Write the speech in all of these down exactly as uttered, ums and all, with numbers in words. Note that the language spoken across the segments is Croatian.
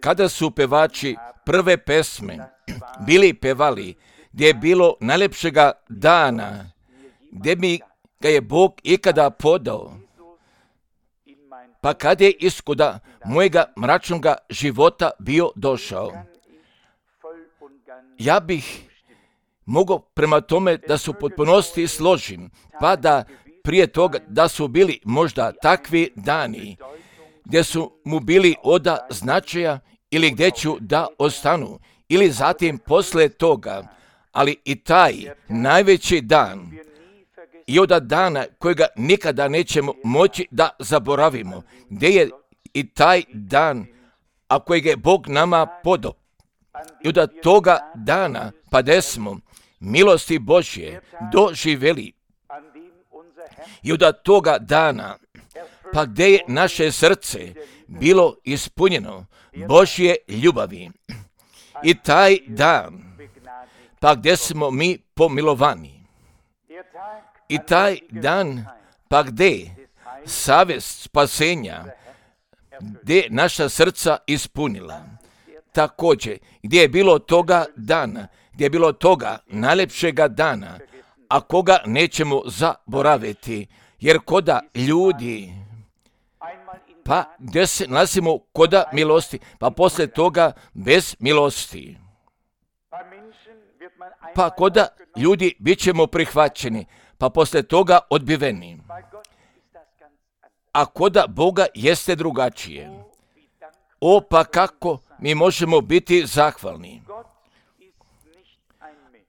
Kada su pevači prve pesme bili pevali, gdje je bilo najljepšega dana, gdje mi ga je Bog ikada podao, pa kad je iskuda mojega mračnoga života bio došao, ja bih mogao prema tome da su potpunosti složim, pa da prije toga da su bili možda takvi dani, gdje su mu bili oda značaja ili gdje ću da ostanu, ili zatim posle toga, ali i taj najveći dan i od dana kojega nikada nećemo moći da zaboravimo, gdje je i taj dan, a kojeg je Bog nama podao. I od toga dana, pa gdje smo milosti Božje doživjeli, i od toga dana, pa gdje je naše srce bilo ispunjeno Božje ljubavi, i taj dan, pa gdje smo mi pomilovani, i taj dan, pa gdje savjest spasenja, gdje naša srca ispunila. Također, gdje je bilo toga dana, gdje je bilo toga najljepšega dana, a koga nećemo zaboraviti, jer koda ljudi, pa gdje se nalazimo koda milosti, pa poslije toga bez milosti. Pa koda ljudi bit ćemo prihvaćeni, pa poslije toga odbiveni. A koda Boga jeste drugačije. O, pa kako mi možemo biti zahvalni.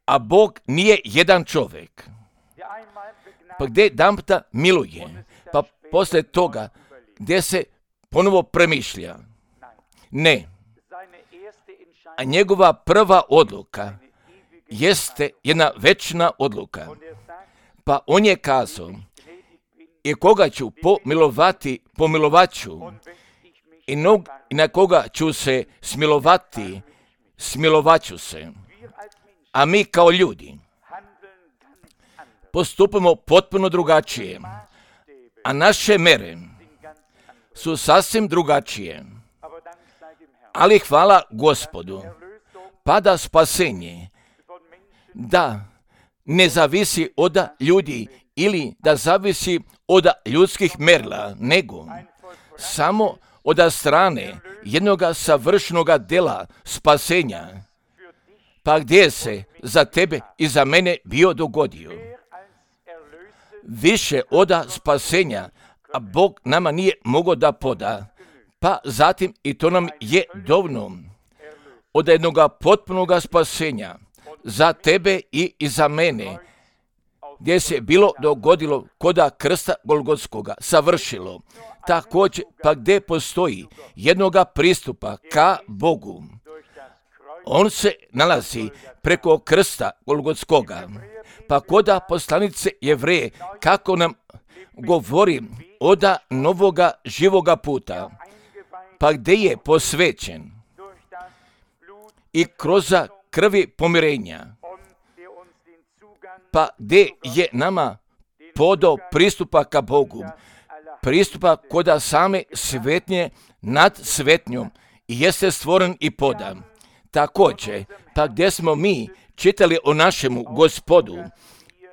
A Bog nije jedan čovjek. Pa gdje jedanputa miluje, pa poslije toga gdje se ponovo premišlja. Ne. A njegova prva odluka jeste jedna večna odluka. Pa on je kazao, i koga ću pomilovati, pomilovat ću, i, nog, i na koga ću se smilovati, smilovat ću se. A mi kao ljudi postupamo potpuno drugačije, a naše mere su sasvim drugačije. Ali hvala Gospodu, pa da spasenje, da ne zavisi od ljudi ili da zavisi od ljudskih merila, nego samo od strane jednoga savršenoga dela spasenja, pa gdje se za tebe i za mene bio dogodio. Više od spasenja, a Bog nama nije mogao da poda, pa zatim i to nam je dovoljno od jednoga potpunoga spasenja za tebe i za mene, gdje se bilo dogodilo koda krsta Golgotskoga, savršilo. Također, pa gdje postoji jednoga pristupa ka Bogu, on se nalazi preko krsta Golgotskoga. Pa koda poslanice Jevreje, kako nam govori oda novoga živoga puta, pa gdje je posvećen i kroz krvi pomirenja, pa gdje je nama podao pristupa ka Bogu, pristupa koda same svetnje nad svetnjom i jeste stvoren i podan. Također, pa gdje smo mi čitali o našemu Gospodu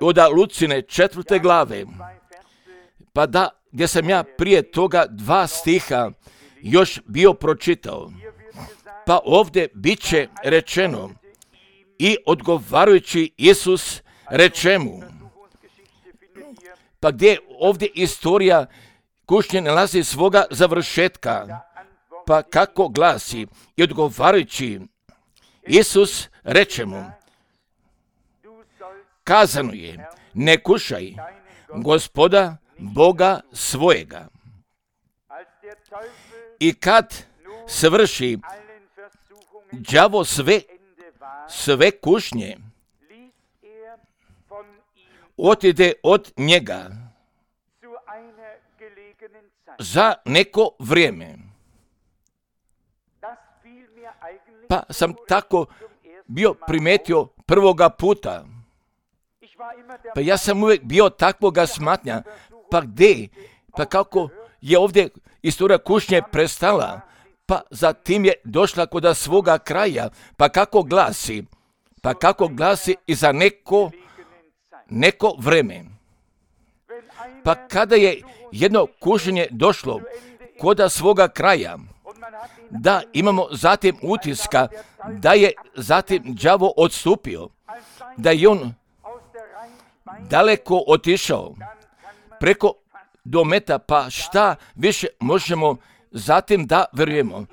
od Lucine četvrte glave, pa da, gdje sam ja prije toga dva stiha još bio pročitao, pa ovdje bit će rečeno, i odgovarajući Isus reče mu, pa gdje ovdje istorija kušnje nalazi svoga završetka, pa kako glasi, i odgovarajući Isus reče mu, kazano je, ne kušaj Gospoda Boga svojega. I kad svrši đavo sve, sve kušnje, otide od njega za neko vrijeme. Pa sam tako bio primetio prvoga puta. Pa ja sam uvijek bio takvoga smatnja. Pa gdje? Pa kako je ovdje istorija kušnje prestala, pa zatim je došla kod svoga kraja. Pa kako glasi? Pa kako glasi i za neko, neko vreme. Pa kada je jedno kušnje došlo kod svoga kraja, da imamo zatim utiska da je zatim đavo odstupio, da je on daleko otišao preko dometa, pa šta više možemo zatim da vjerujemo?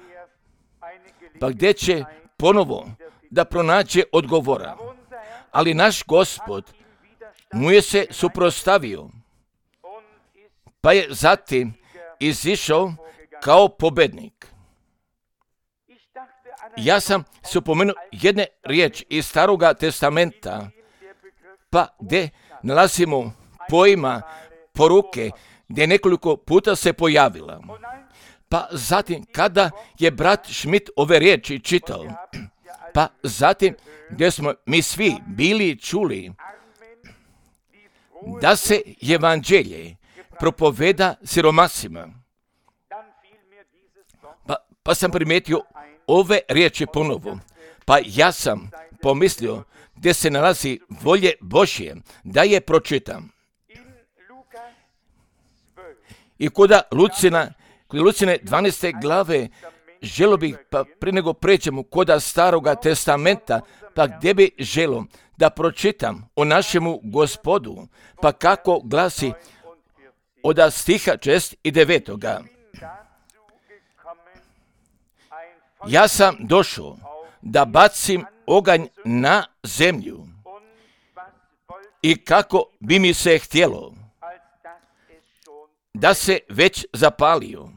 Pa gdje će ponovo da pronađe odgovora? Ali naš Gospod mu je se suprotstavio, pa je zatim izišao kao pobednik. Ja sam se upomenuo jedne riječi iz Staroga testamenta, pa gdje nalazimo pojma poruke, gdje nekoliko puta se pojavila. Pa zatim, kada je brat Schmidt ove riječi čitao, pa zatim, gdje smo mi svi bili čuli da se evanđelje propoveda siromasima, pa, pa sam primijetio ove riječi ponovo. Pa ja sam pomislio gdje se nalazi volje Božje da je pročitam. I kod Lucina, kod Lucine dvanaeste glave, želo bih, pa prije nego pređemo kod Staroga testamenta, pa gdje bi želo da pročitam o našemu Gospodu, pa kako glasi od stiha šest i devetoga. Ja sam došao da bacim oganj na zemlju i kako bi mi se htjelo da se već zapalio,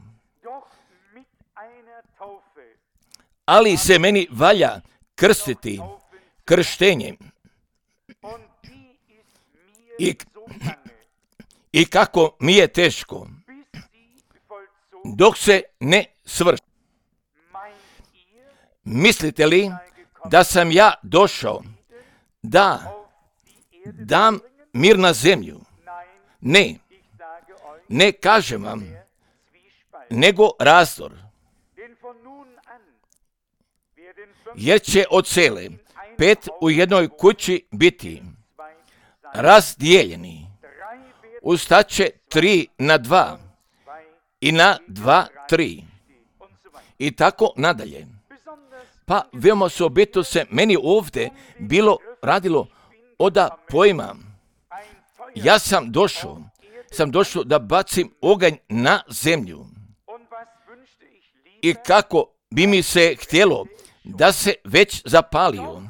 ali se meni valja krstiti krštenjem i, i kako mi je teško dok se ne svrši. Mislite li da sam ja došao da dam mir na zemlju? Ne, ne kažem vam, nego razdor. Jer će od cele pet u jednoj kući biti razdijeljeni. Ustaće tri na dva i na dva tri i tako nadalje. Pa veoma osobito se meni ovdje bilo radilo oda pojma. Ja sam došao, sam došao da bacim oganj na zemlju. I kako bi mi se htjelo da se već zapalio.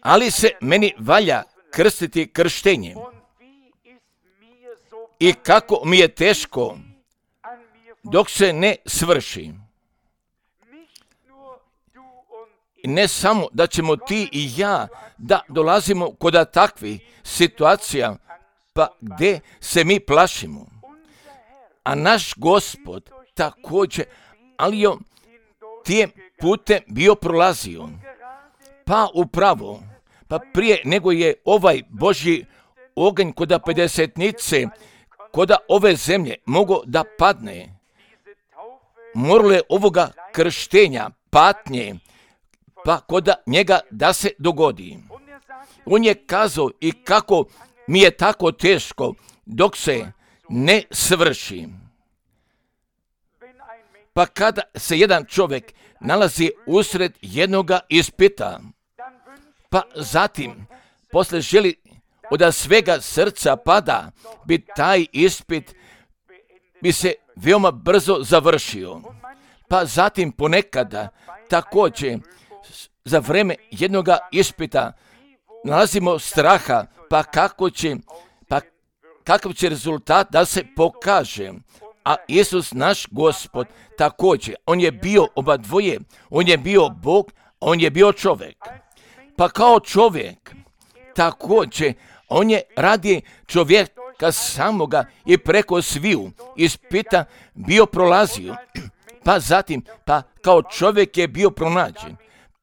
Ali se meni valja krstiti krštenjem. I kako mi je teško dok se ne svrši. Ne samo da ćemo ti i ja da dolazimo kod takvih situacija, pa gdje se mi plašimo. A naš Gospod također, ali je tijem putem bio prolazio. Pa upravo, pa prije nego je ovaj Božji oganj kod pedesetnice, kod ove zemlje mogao da padne, moralo je ovoga krštenja, patnje, pa kod njega da se dogodi. On je kazao i kako mi je tako teško dok se ne svrši. Pa kada se jedan čovjek nalazi usred jednoga ispita, pa zatim posle želi od svega srca pada, bi taj ispit bi se veoma brzo završio. Pa zatim ponekada također za vreme jednoga ispita nalazimo straha, pa kako će, pa kakav će rezultat da se pokaže. A Isus naš Gospod također, on je bio oba dvoje, on je bio Bog, on je bio čovjek. Pa kao čovjek također, on je radi čovjeka samoga i preko sviju ispita bio prolazio. Pa zatim, pa kao čovjek je bio pronađen.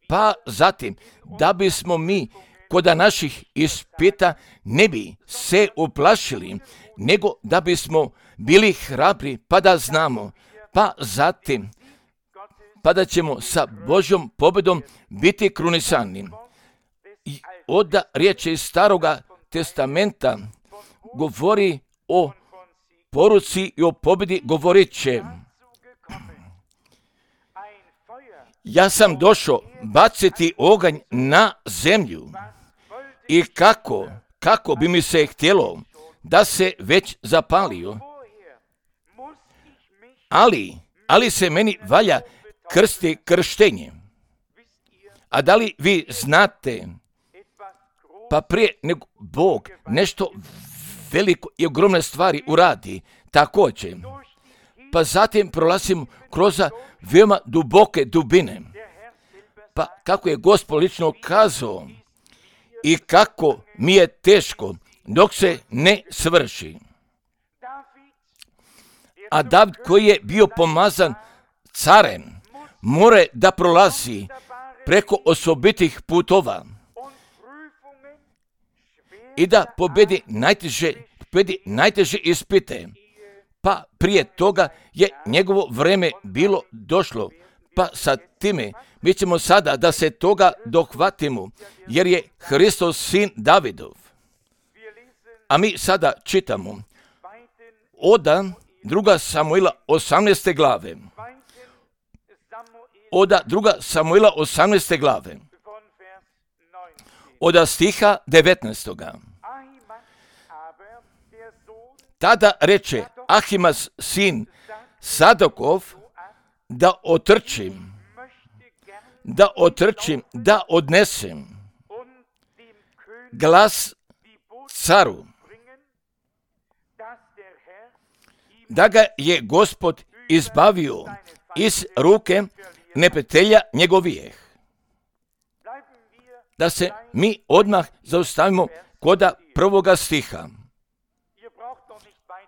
Pa zatim, da bismo mi kod naših ispita ne bi se uplašili, nego da bismo bili hrabri, pa da znamo, pa zatim, pa da ćemo sa Božjom pobjedom biti krunisani. I onda riječ iz Staroga testamenta govori o poruci i o pobjedi, govorit će: ja sam došao baciti oganj na zemlju i kako, kako bi mi se htjelo da se već zapalio, ali, ali se meni valja krsti krštenje. A da li vi znate, pa prije nego Bog nešto veliko i ogromne stvari uradi, također, pa zatim prolazim kroz veoma duboke dubine. Pa kako je Gospod lično kazao i kako mi je teško dok se ne svrši. A David, koji je bio pomazan carem, mora da prolazi preko osobitih putova i da pobedi najteže, pobedi najteže ispite. Pa prije toga je njegovo vreme bilo došlo. Pa sa time mi ćemo sada da se toga dohvatimo, jer je Hristos sin Davidov. A mi sada čitamo oda druga Samuila osamnaeste glave. Oda druga Samuila osamnaeste glave. Oda stiha devetnaestoga. Tada reče Ahimas sin Sadokov da otrčim, da otrčim, da odnesem glas caru, da ga je Gospod izbavio iz ruke neprijatelja njegovijeh. Da se mi odmah zaustavimo koda prvoga stiha.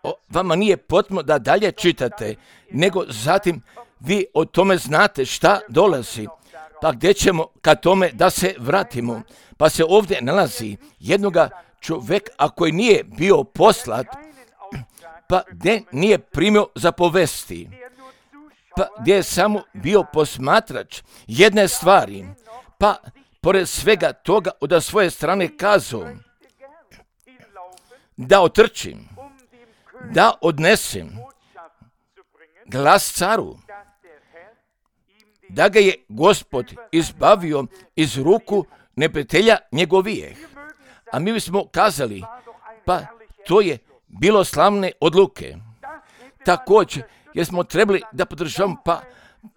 O, vama nije potrebno da dalje čitate, nego zatim vi o tome znate šta dolazi. Pa gdje ćemo ka tome da se vratimo? Pa se ovdje nalazi jednoga čovjeka, a koji nije bio poslat, pa gdje nije primio zapovesti, pa gdje je samo bio posmatrač jedne stvari, pa pored svega toga od svoje strane kazao da otrčim, da odnesem glas caru, da ga je Gospod izbavio iz ruku neprijatelja njegovijeh. A mi bismo kazali, pa to je bilo slavne odluke. Također, jer smo trebali da podržavamo, pa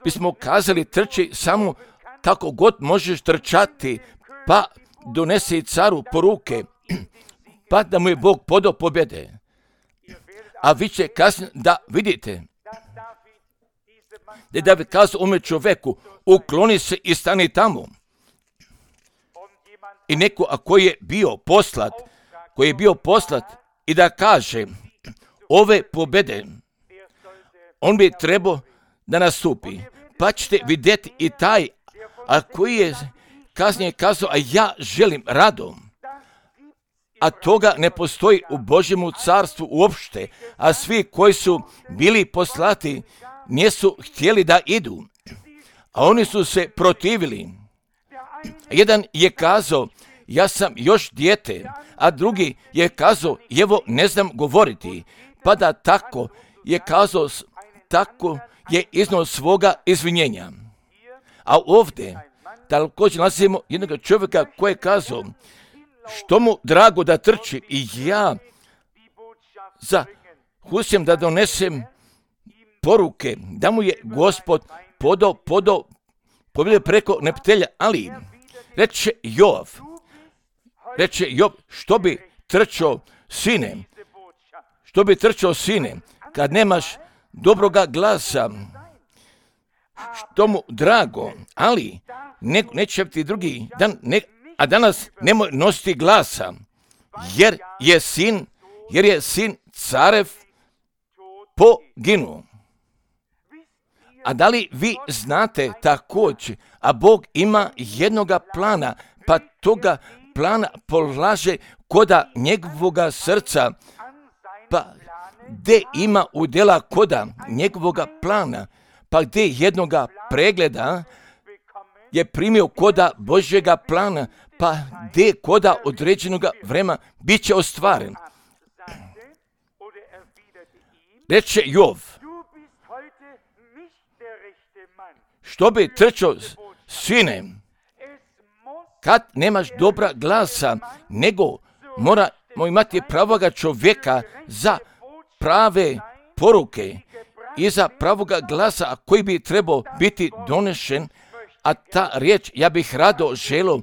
bismo kazali trči samo kako god možeš trčati, pa donesi caru poruke, pa da mu je Bog podao pobjede. A vi će kasnije da vidite da je David kazao ome čoveku, ukloni se i stani tamo. I neko, a koji je bio poslat, koji je bio poslat i da kaže ove pobjede, on bi trebao da nastupi. Pa ćete vidjeti i taj, a koji je kasnije kazao, a ja želim radom. A toga ne postoji u Božjemu carstvu uopšte, a svi koji su bili poslati nisu htjeli da idu, a oni su se protivili. Jedan je kazao, ja sam još dijete, a drugi je kazao, evo ne znam govoriti, pa da tako je kazao, tako je iznao svoga izvinjenja. A ovdje također nalazimo jednog čovjeka koji je kazao, što mu drago da trči i ja za Husjem da donesem poruke, da mu je Gospod podao, podao, pobjedio preko neprijatelja, ali reče Joab, reče Joab, što bi trčao sine, što bi trčao sine, kad nemaš dobroga glasa, što mu drago, ali ne, neće ti drugi dan, ne, a danas nemoj nositi glasa, jer je sin, jer je sin carev poginuo. A da li vi znate također, a Bog ima jednoga plana, pa toga plana polaže koda njegovoga srca, pa gdje ima udjela koda njegovoga plana, pa gdje jednoga pregleda je primio koda Božjega plana, pa gdje koda određenoga vremena bit će ostvaren. Reče Jov, što bi trčao, sine, kad nemaš dobra glasa, nego moramo imati pravoga čovjeka za prave poruke i za pravoga glasa koji bi trebao biti donešen, a ta riječ ja bih rado želio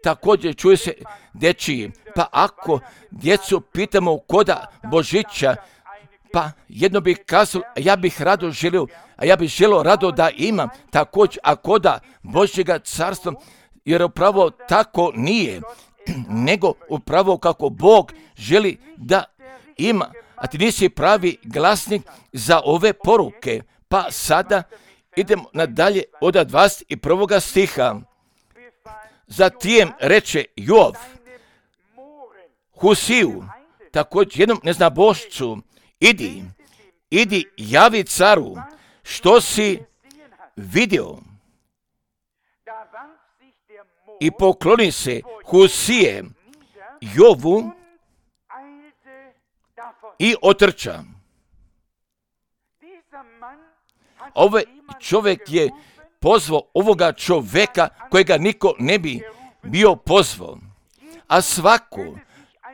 također čuje se dečiji. Pa ako djecu pitamo koda Božića, pa jedno bih kazao, ja bih rado želio, a ja bih želio rado da imam također, a koda Božjega carstva, jer upravo tako nije, nego upravo kako Bog želi da ima, a ti nisi pravi glasnik za ove poruke. Pa sada idemo nadalje od dvadeset prvog stiha. Zatim reče Jov Husiju, također jednom neznabošcu, idi, idi javi caru, što si vidio. I pokloni se Husije Jovu i otrča. Ovaj čovjek je pozvao ovoga čovjeka kojega niko ne bi bio pozvao. A svako,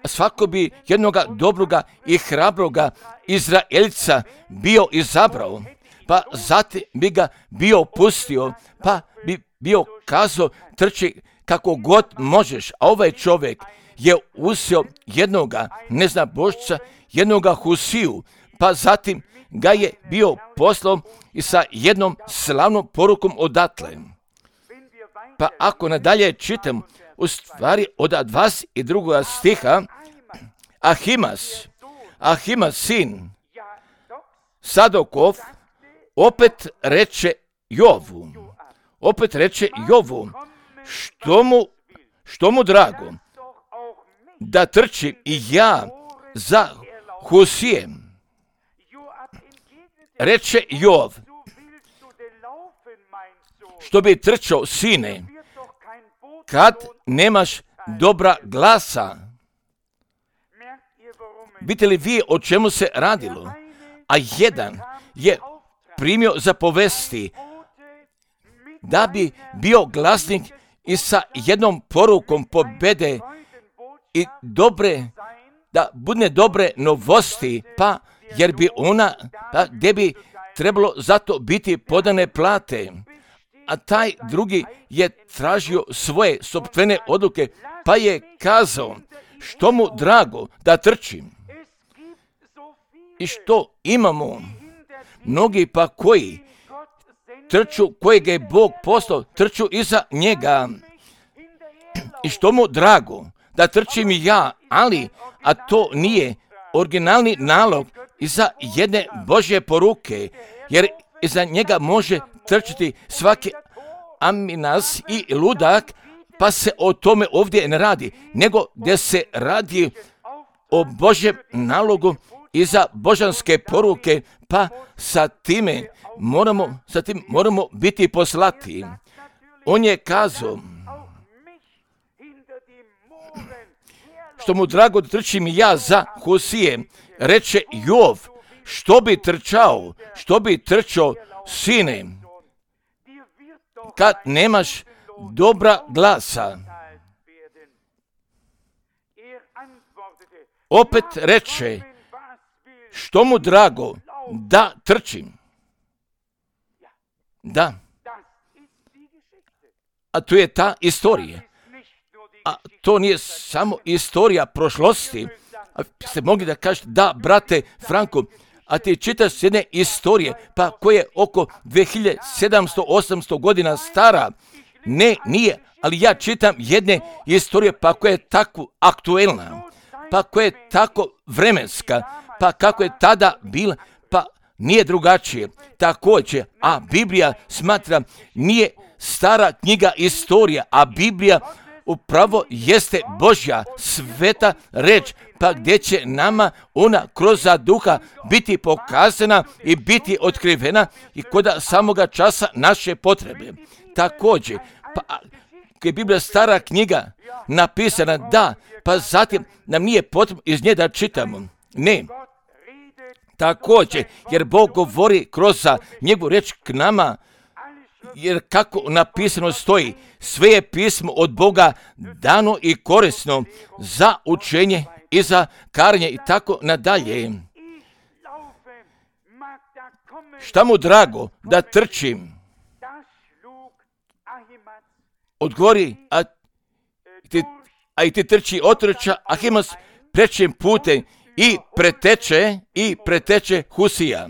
svako bi jednoga dobroga i hrabroga Izraelca bio izabrao, pa zatim bi ga bio pustio, pa bi bio kazao trči kako god možeš. A ovaj čovjek je uzeo jednoga neznabošca, jednoga Husiju, pa zatim ga je bio poslao i sa jednom slavnom porukom odatle. Pa ako nadalje čitam, u stvari od dvadeset drugog stiha, Ahimas, Ahimas sin Sadokov, opet reče Jovu, opet reče Jovu, što mu, što mu drago, da trčim i ja za Husijem. Reče Jov, što bi trčao, sine, kad nemaš dobra glasa. Vidite li vi o čemu se radilo? A jedan je primio za povesti da bi bio glasnik i sa jednom porukom pobede i dobre, da bude dobre novosti, pa jer bi ona, pa gdje bi trebalo zato biti podane plate. A taj drugi je tražio svoje sopstvene odluke, pa je kazao, što mu drago da trčim. I što imamo? Mnogi pa koji trču, kojeg je Bog poslao, trču iza njega. I što mu drago da trčim i ja, ali, a to nije originalni nalog iza jedne Božje poruke, jer iza njega može trčati svaki aminas i ludak, pa se o tome ovdje ne radi, nego gdje se radi o Božjem nalogu iza božanske poruke, pa sa time moramo, sa tim moramo biti poslati. On je kazao, što mu drago da trčim ja za Husije. Reče Jov, što bi trčao, što bi trčao, sine, kad nemaš dobra glasa. Opet reče, što mu drago da trčim. Da. A to je ta istorija. A to nije samo istorija prošlosti. A ste mogli da kažete, da, brate Franko, a ti čitaš jedne istorije, pa koje je oko dvije hiljade sedamsto do osamsto godina stara. Ne, nije, ali ja čitam jedne istorije, pa koja je tako aktuelna, pa koja je tako vremenska, pa kako je tada bila, pa nije drugačije. Također, a Biblija smatra, nije stara knjiga istorija, a Biblija upravo jeste Božja sveta reč, pa gdje će nama ona kroz duha biti pokazana i biti otkrivena i kod samoga časa naše potrebe. Također, pa kad je Biblija stara knjiga napisana, da, pa zatim nam nije potrebno iz nje da čitamo. Ne. Također, jer Bog govori kroz njegovu reč k nama, jer kako napisano stoji, sve je pismo od Boga dano i korisno za učenje i za karenje i tako nadalje. Šta mu drago da trčim? Odgovori, a ti, a i ti trči otrča Ahimas prečim putem i preteče i preteče Husija.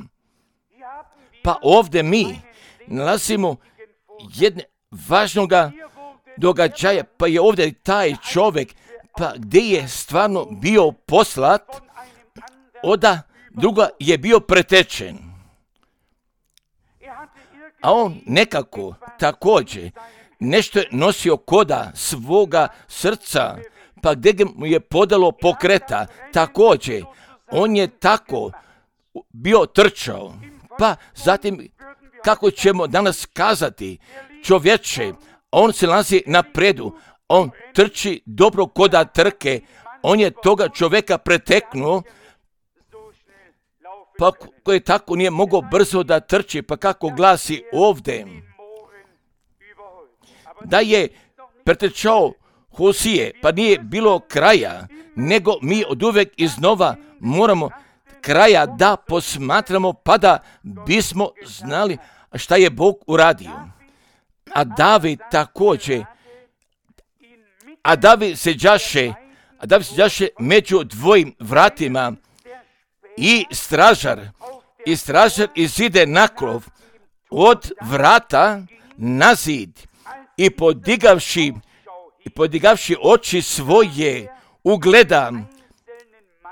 Pa ovdje mi nalazimo jedne važnoga događaja, pa je ovdje taj čovjek, pa gdje je stvarno bio poslat, oda druga je bio pretečen. A on nekako također nešto je nosio koda svoga srca, pa gdje mu je podalo pokreta, također on je tako bio trčao. Pa zatim, kako ćemo danas kazati, čovječe, on se nalazi napredu, on trči dobro koda trke, on je toga čovjeka preteknuo, pa koji tako nije mogao brzo da trči, pa kako glasi ovdje, da je pretrčao Husije, pa nije bilo kraja, nego mi od uvijek iznova moramo kraja da posmatramo, pa da bismo znali šta je Bog uradio. A David također, a David se đaše, a David se đaše među dvojim vratima i stražar, i stražar izide na krov od vrata na zid i podigavši, i podigavši oči svoje ugleda,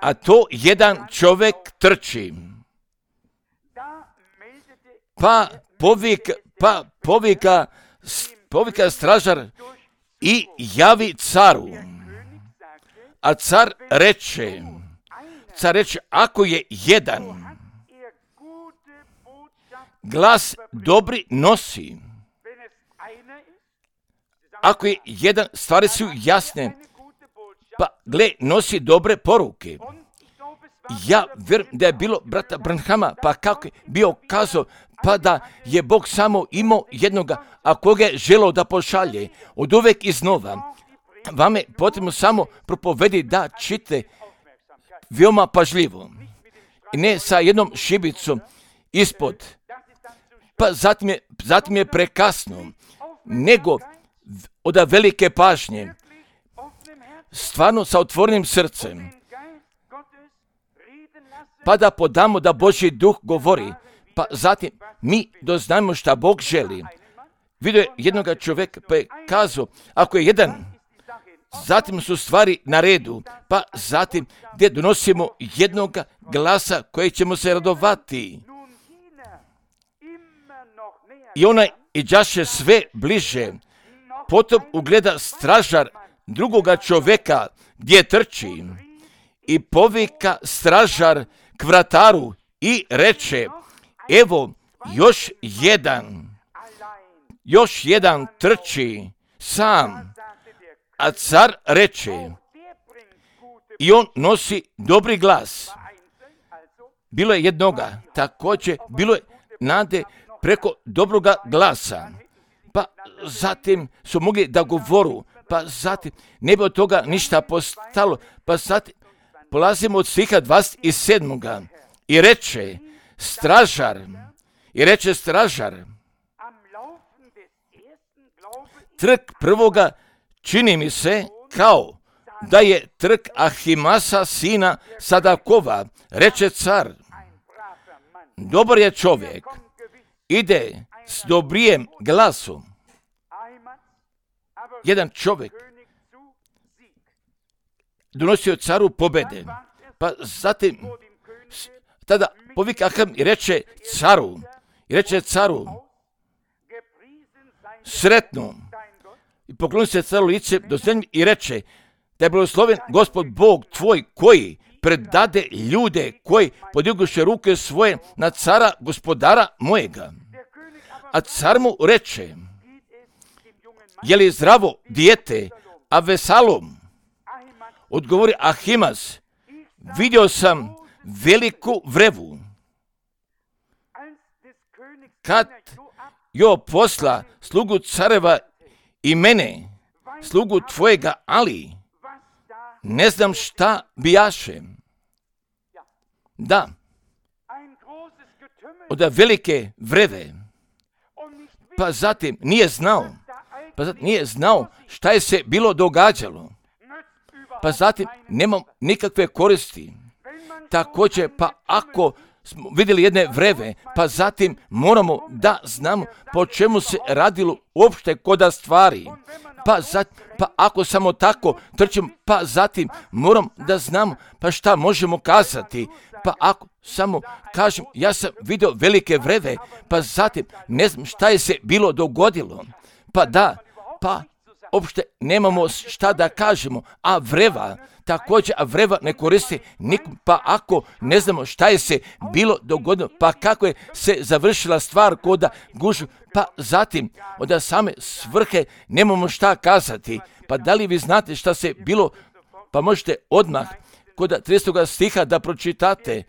a to jedan čovjek trči. Pa povika, pa povika, povika stražar i javi caru. A car reče, car reče, ako je jedan glas dobri nosi, ako je jedan, stvari su jasne, pa gle, nosi dobre poruke. Ja vjerujem da je bilo brata Branhama, pa kako je bio kazao, pa da je Bog samo imao jednoga, a koga je želeo da pošalje, od uvijek iznova. Vama je potrebno samo propovedi da čite veoma pažljivo. I ne sa jednom šibicom ispod, pa zatim je, zatim je prekasno, nego od velike pažnje, stvarno sa otvorenim srcem, pa da podamo da Božji duh govori, pa zatim mi doznajemo šta Bog želi. Vidio je jednoga čovjeka, pa je kazao, ako je jedan, zatim su stvari na redu, pa zatim gdje donosimo jednoga glasa koji ćemo se radovati. I onaj iđaše sve bliže, potom ugleda stražar drugoga čovjeka gdje trči i povika stražar k vrataru i reče, evo još jedan, još jedan trči sam, a car reče, i on nosi dobri glas. Bilo je jednoga, također bilo je nade preko dobroga glasa. Pa zatim su mogli da govoru, pa zatim ne bi od toga ništa postalo, pa zatim polazimo od stiha dvadeset sedam. I reče stražar, i reče stražar, trk prvoga čini mi se kao da je trk Ahimasa sina Sadakova, reče car. Dobar je čovjek, ide s dobrijem glasom. Jedan čovjek donosio caru pobede, pa zatim tada povika Aham i reče caru, i reče caru, sretno, i pokloni se caru lice do zemlje i reče, da je blagosloven Gospod Bog tvoj koji predade ljude koji podignuše ruke svoje na cara gospodara mojega. A car mu reče, je li zdravo dijete, a Vesalom? Odgovori Ahimaz, vidio sam veliku vrevu. Kad jo posla slugu careva i mene, slugu tvojega, ali ne znam šta bijaše. Da, od velike vreve, pa zatim nije znao, pa zatim nije znao šta je se bilo događalo, pa zatim nemam nikakve koristi. Također, pa ako smo vidjeli jedne vreve, pa zatim moramo da znamo po čemu se radilo uopšte koda stvari. Pa, zat, pa ako samo tako trčimo, pa zatim moram da znamo pa šta možemo kazati. Pa ako samo kažem, ja sam vidio velike vreve, pa zatim ne znam šta je se bilo dogodilo. Pa da, pa uopšte nemamo šta da kažemo, a vreva, također, a vreva ne koristi nikom, pa ako ne znamo šta je se bilo dogodilo, pa kako je se završila stvar koda gužu, pa zatim od same svrhe nemamo šta kazati. Pa da li vi znate šta se bilo, pa možete odmah kod tridesetog stiha da pročitate.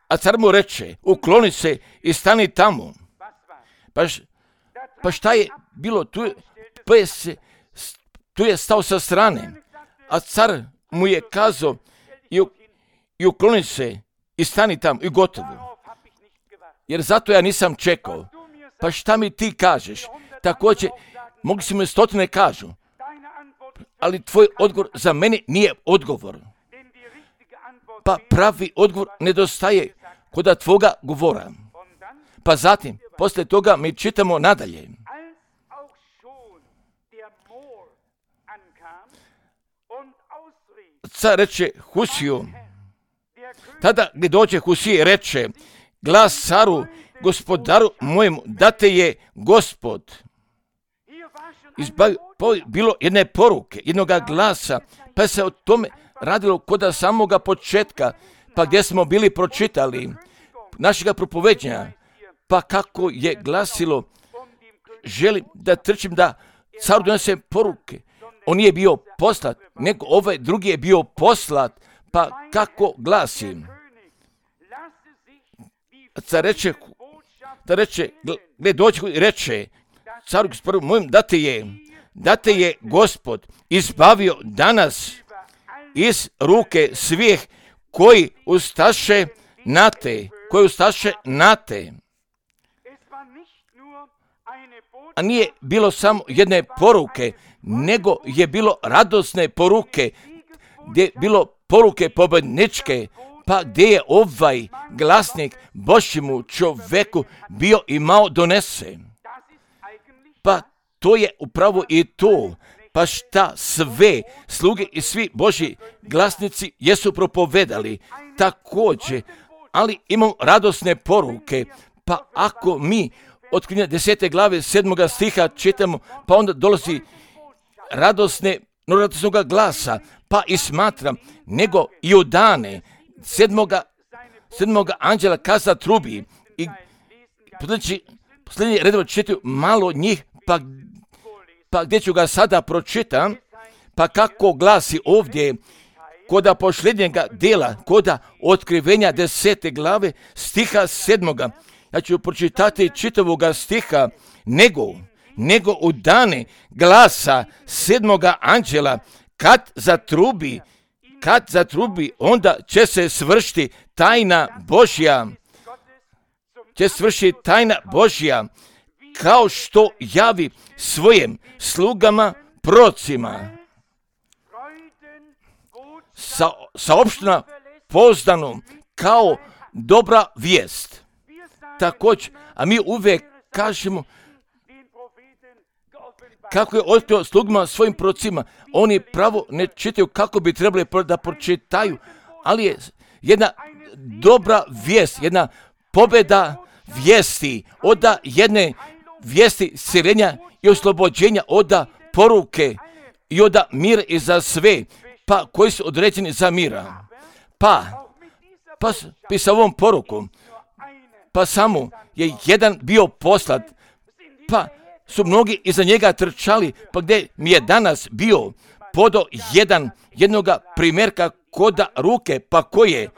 A car mu reče, ukloni se i stani tamo. Pa, pa šta je bilo, tu je, pa je se, tu je stao sa strane, a car mu je kazao i, i ukloni se i stani tamo i gotovo. Jer zato ja nisam čekao. Pa šta mi ti kažeš? Također, mogli si mi stotine kažu, ali tvoj odgovor za mene nije odgovor. Pa pravi odgovor nedostaje kod tvoga govora. Pa zatim, poslije toga mi čitamo nadalje. Car reče Husiju, tada gdje dođe Husije reče, glas caru, gospodaru mojemu, da te je Gospod. Izbavi, bilo jedne poruke, jednoga glasa, pa se o tome radilo kod samoga početka, pa gdje smo bili pročitali našega propoveđenja, pa kako je glasilo, želim da trčim da caru donese poruke. On nije bio poslat, nego ovaj drugi je bio poslat, pa kako glasi? Car reče, da reče, gdje dođe i reče, caru gospodaru mojem, da te je, da te je Gospod izbavio danas iz ruke svih koji ustaše na te, koji ustaše na te. A nije bilo samo jedne poruke, nego je bilo radosne poruke, gdje je bilo poruke pobedničke, pa gdje je ovaj glasnik Božjemu čoveku bio i malo donese. Pa to je upravo i to, pa šta sve sluge i svi Božji glasnici jesu propovedali također, ali imamo radosne poruke, pa ako mi otkrivenja desete glave sedmoga stiha čitamo, pa onda dolazi radosne, no radosnoga glasa, pa i smatram, nego i u dane sedmoga, sedmoga anđela kaza trubi i posljednji, posljednji redova čitaju malo njih, pa, pa gdje ću ga sada pročitam, pa kako glasi ovdje, koda posljednjega dela, koda otkrivenja desete glave, stiha sedmoga. Ja ću pročitati čitavoga stiha, nego, nego u dane glasa sedmoga anđela, kad zatrubi, kad zatrubi, onda će se svršiti tajna Božja, će svršiti tajna Božja, kao što javi svojim slugama procima. Sa, saopštena pouzdano kao dobra vijest. Također, a mi uvijek kažemo kako je otkrio slugama svojim procima. Oni pravo ne čitaju kako bi trebali da pročitaju, ali je jedna dobra vijest, jedna pobjeda vijesti od jedne vijesti sirenja i oslobođenja oda poruke i oda mira i za sve, pa koji su određeni za mira. Pa, pa sa ovom porukom, pa samo je jedan bio poslat, pa su mnogi iza njega trčali, pa gdje mi je danas bio podo jedan, jednoga primjerka koda ruke, pa koje,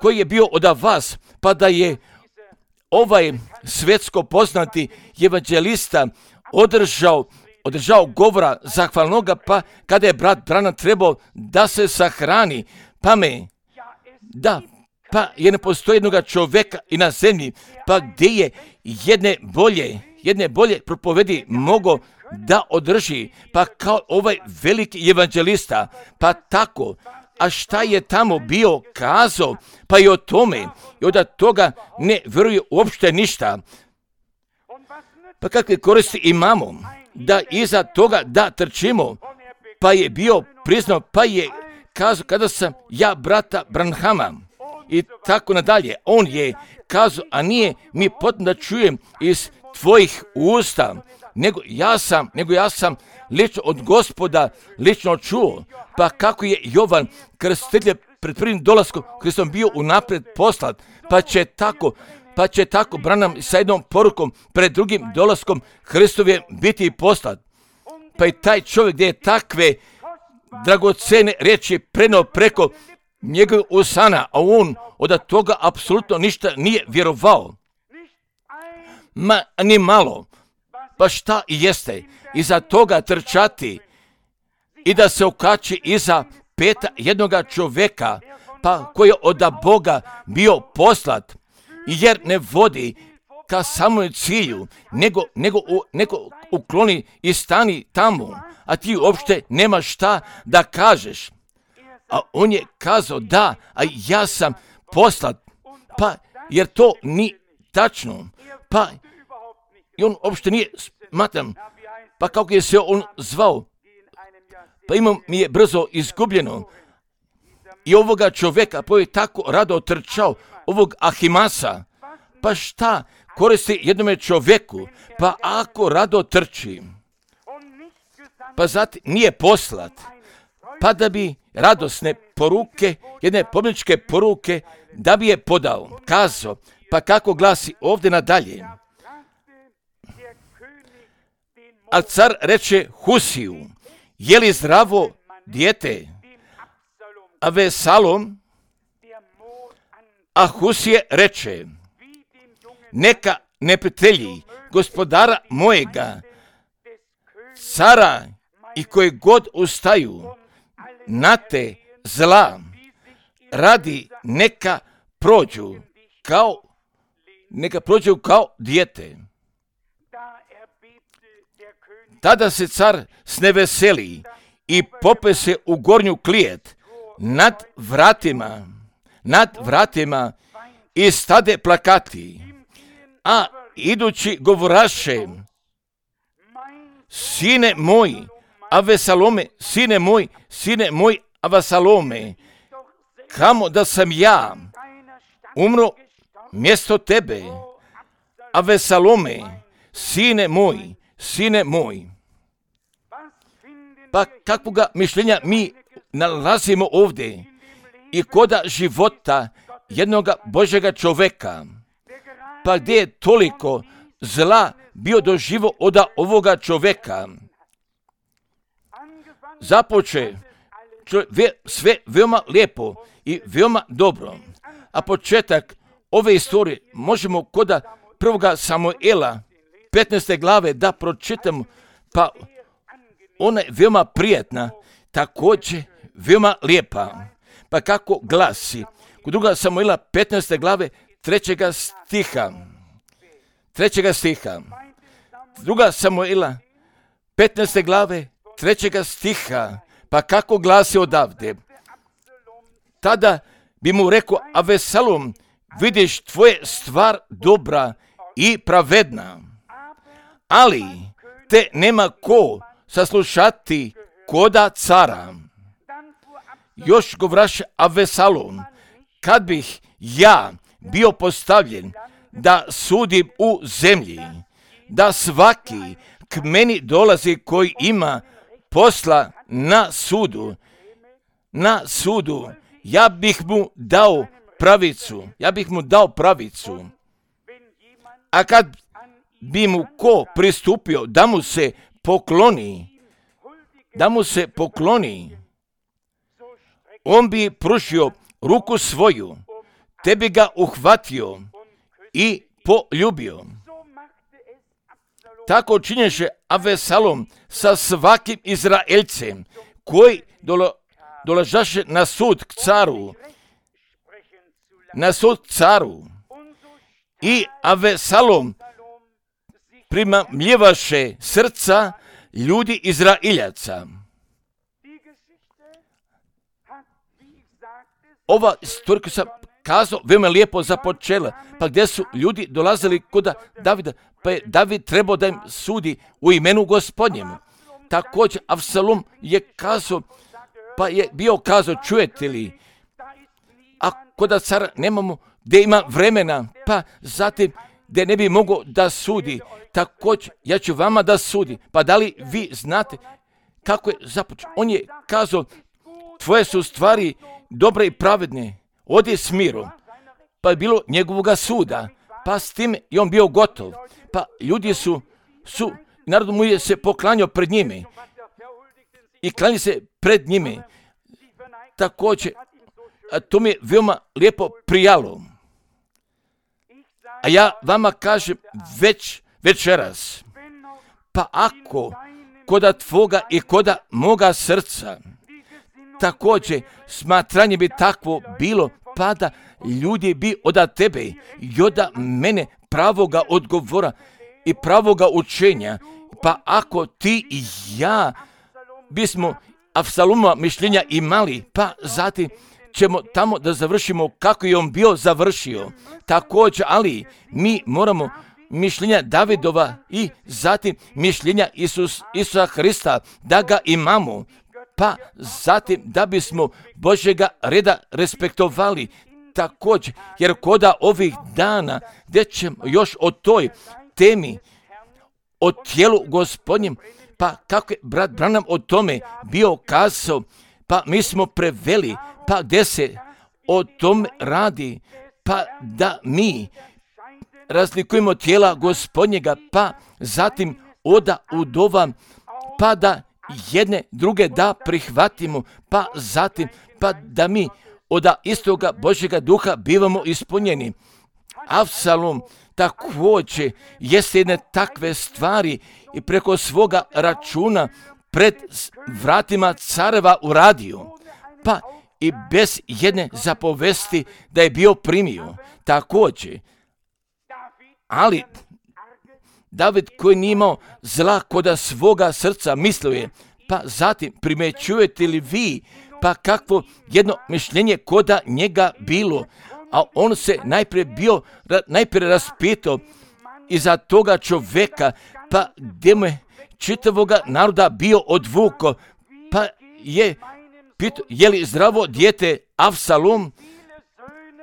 koji je bio od vas, pa da je ovaj svjetsko poznati evanđelista održao, održao govora zahvalnoga, pa kada je brat Branham trebao da se sahrani, pa me, da, pa je ne postoji jednoga čovjeka i na zemlji, pa gdje je jedne bolje, jedne bolje propovedi mogo da održi, pa kao ovaj veliki evanđelista, pa tako, a šta je tamo bio kazao, pa i o tome, i od toga ne vjeruje uopšte ništa. Pa kakve koristi imamo, da iza toga da trčimo, pa je bio priznao, pa je kazao kada sam ja brata Branhama, i tako nadalje, on je kazao, a nije mi potrebno da čujem iz tvojih usta, nego ja sam, nego ja sam lično od Gospoda lično čuo, pa kako je Jovan Krstitelj pred prvim dolaskom Hristom bio unaprijed poslat, pa će tako, pa će tako Branham sa jednom porukom pred drugim dolaskom Hristovim biti poslat. Pa i taj čovjek gdje je takve dragocene riječi prenio preko njegovog usana, a on od toga apsolutno ništa nije vjerovao. Ma ni malo. Pa šta i jeste iza toga trčati i da se okači iza peta jednoga čovjeka, pa koji je od Boga bio poslat, jer ne vodi ka samom cilju, nego, nego, nego ukloni i stani tamo, a ti uopšte nema šta da kažeš. A on je kazao da, a ja sam poslat, pa jer to ni tačno, pa i on uopšte nije smatram, pa kako je se on zvao, pa imam mi je brzo izgubljeno. I ovoga čovjeka koji je tako rado trčao, ovog Ahimasa, pa šta koristi jednome čovjeku, pa ako rado trči, pa zatim nije poslat, pa da bi radosne poruke, jedne pobjedničke poruke, da bi je podao, kazao, pa kako glasi ovdje nadalje. A car reče Husiju, je li zdravo dijete? A Vesalom, a Husije reče, neka neprijatelji gospodara mojega, cara i koji god ustaju na te zla, radi neka prođu kao, neka prođu kao dijete. Tada se car sneveseli i pope se u gornju klijet nad vratima, nad vratima i stade plakati, a idući govoraše, sine moj, Avesalome, sine moj, sine moj, Avesalome, kamo da sam ja umro mjesto tebe, Avesalome, sine moj, sine moj. Pa kakvoga mišljenja mi nalazimo ovdje i koda života jednoga Božjega čovjeka, pa gdje je toliko zla bio doživo od ovoga čovjeka. Započe sve veoma lijepo i veoma dobro, a početak ove istorije možemo koda prvoga Samuela petnaeste glave da pročitamo, pa ona je veoma prijetna, također veoma lijepa. Pa kako glasi, kod druga Samuela petnaeste glave trećega stiha, trećega stiha, druga Samuela petnaeste glave trećega stiha, pa kako glasi odavde, tada bi mu rekao Avesalom, vidiš tvoje stvar dobra i pravedna, ali te nema ko saslušati koda cara. Još govraše Avesalom, kad bih ja bio postavljen da sudim u zemlji, da svaki k meni dolazi koji ima posla na sudu, na sudu, ja bih mu dao pravicu, ja bih mu dao pravicu. A kad bi mu ko pristupio da mu se pokloni, da mu se pokloni, on bi pružio ruku svoju, te bi ga uhvatio i poljubio. Tako činješe Avsalom sa svakim Izraelcem koji dolo, dolažaše na sud k caru, na sud caru. I Avsalom primamljivaše srca ljudi Izraeljaca. Ova istorija koju sam kazao veoma lijepo započela, pa gdje su ljudi dolazili kod Davida, pa je David trebao da im sudi u imenu Gospodnjemu. Također Avsalom je kazao, pa je bio kazao, čujete li, a kod cara nemamo gdje ima vremena, pa zatim gdje ne bi mogao da sudi, također ja ću vama da sudi. Pa da li vi znate kako je započeo? On je kazao, tvoje su stvari dobre i pravedne, odi s mirom. Pa je bilo njegovoga suda, pa s tim je on bio gotov. Pa ljudi su, su narod mu je se poklanjao pred njime i klanja se pred njime. Također, a to mi je veoma lijepo prijalo. A ja vama kažem već večeras, pa ako koda tvoga i koda moga srca, također smatranje bi takvo bilo, pa da ljudi bi od tebe i od mene pravoga odgovora i pravoga učenja, pa ako ti i ja bismo Avsalomova mišljenja imali, pa zatim ćemo tamo da završimo kako je on bio završio. Također, ali mi moramo mišljenja Davidova i zatim mišljenja Isus, Isusa Hrista da ga imamo, pa zatim da bismo Božjega reda respektovali. Također, jer koda ovih dana gdje ćemo još o toj temi, o tijelu Gospodnjem, pa kako je brat Branham o tome bio kazao, pa mi smo preveli, pa gdje se o tome radi, pa da mi razlikujemo tijela Gospodnjega, pa zatim oda udova, pa da jedne druge da prihvatimo, pa zatim pa da mi od istoga Božjega duha bivamo ispunjeni. Avsalom također jeste jedne takve stvari i preko svoga računa pred vratima careva uradio, pa i bez jedne zapovesti da je bio primio. Također, ali David koji nije imao zla koda svoga srca mislio je, pa zatim primećujete li vi, pa kakvo jedno mišljenje koda njega bilo, a on se najprije bio, najprije raspitao iza toga čoveka, pa gdje mu je čitavoga naroda bio odvuko, pa je pitao, je li zdravo dijete Avsalom,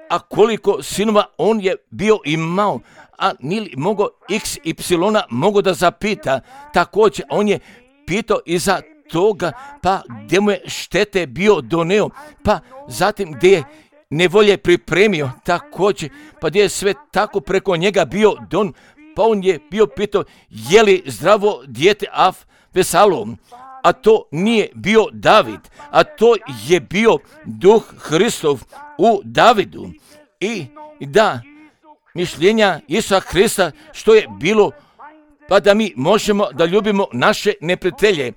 a koliko sinova on je bio imao, a nije li mogao iks ipsilona mogo da zapita. Također on je pitao iza toga, pa gdje mu je štete bio doneo, pa zatim gdje je nevolje pripremio, također, pa gdje je sve tako preko njega bio don, pa on je bio pitao, je li zdravo dijete Avsalom, a to nije bio David, a to je bio Duh Hristov u Davidu. I da, mišljenja Isusa Hrista što je bilo, pa da mi možemo da ljubimo naše neprijatelje.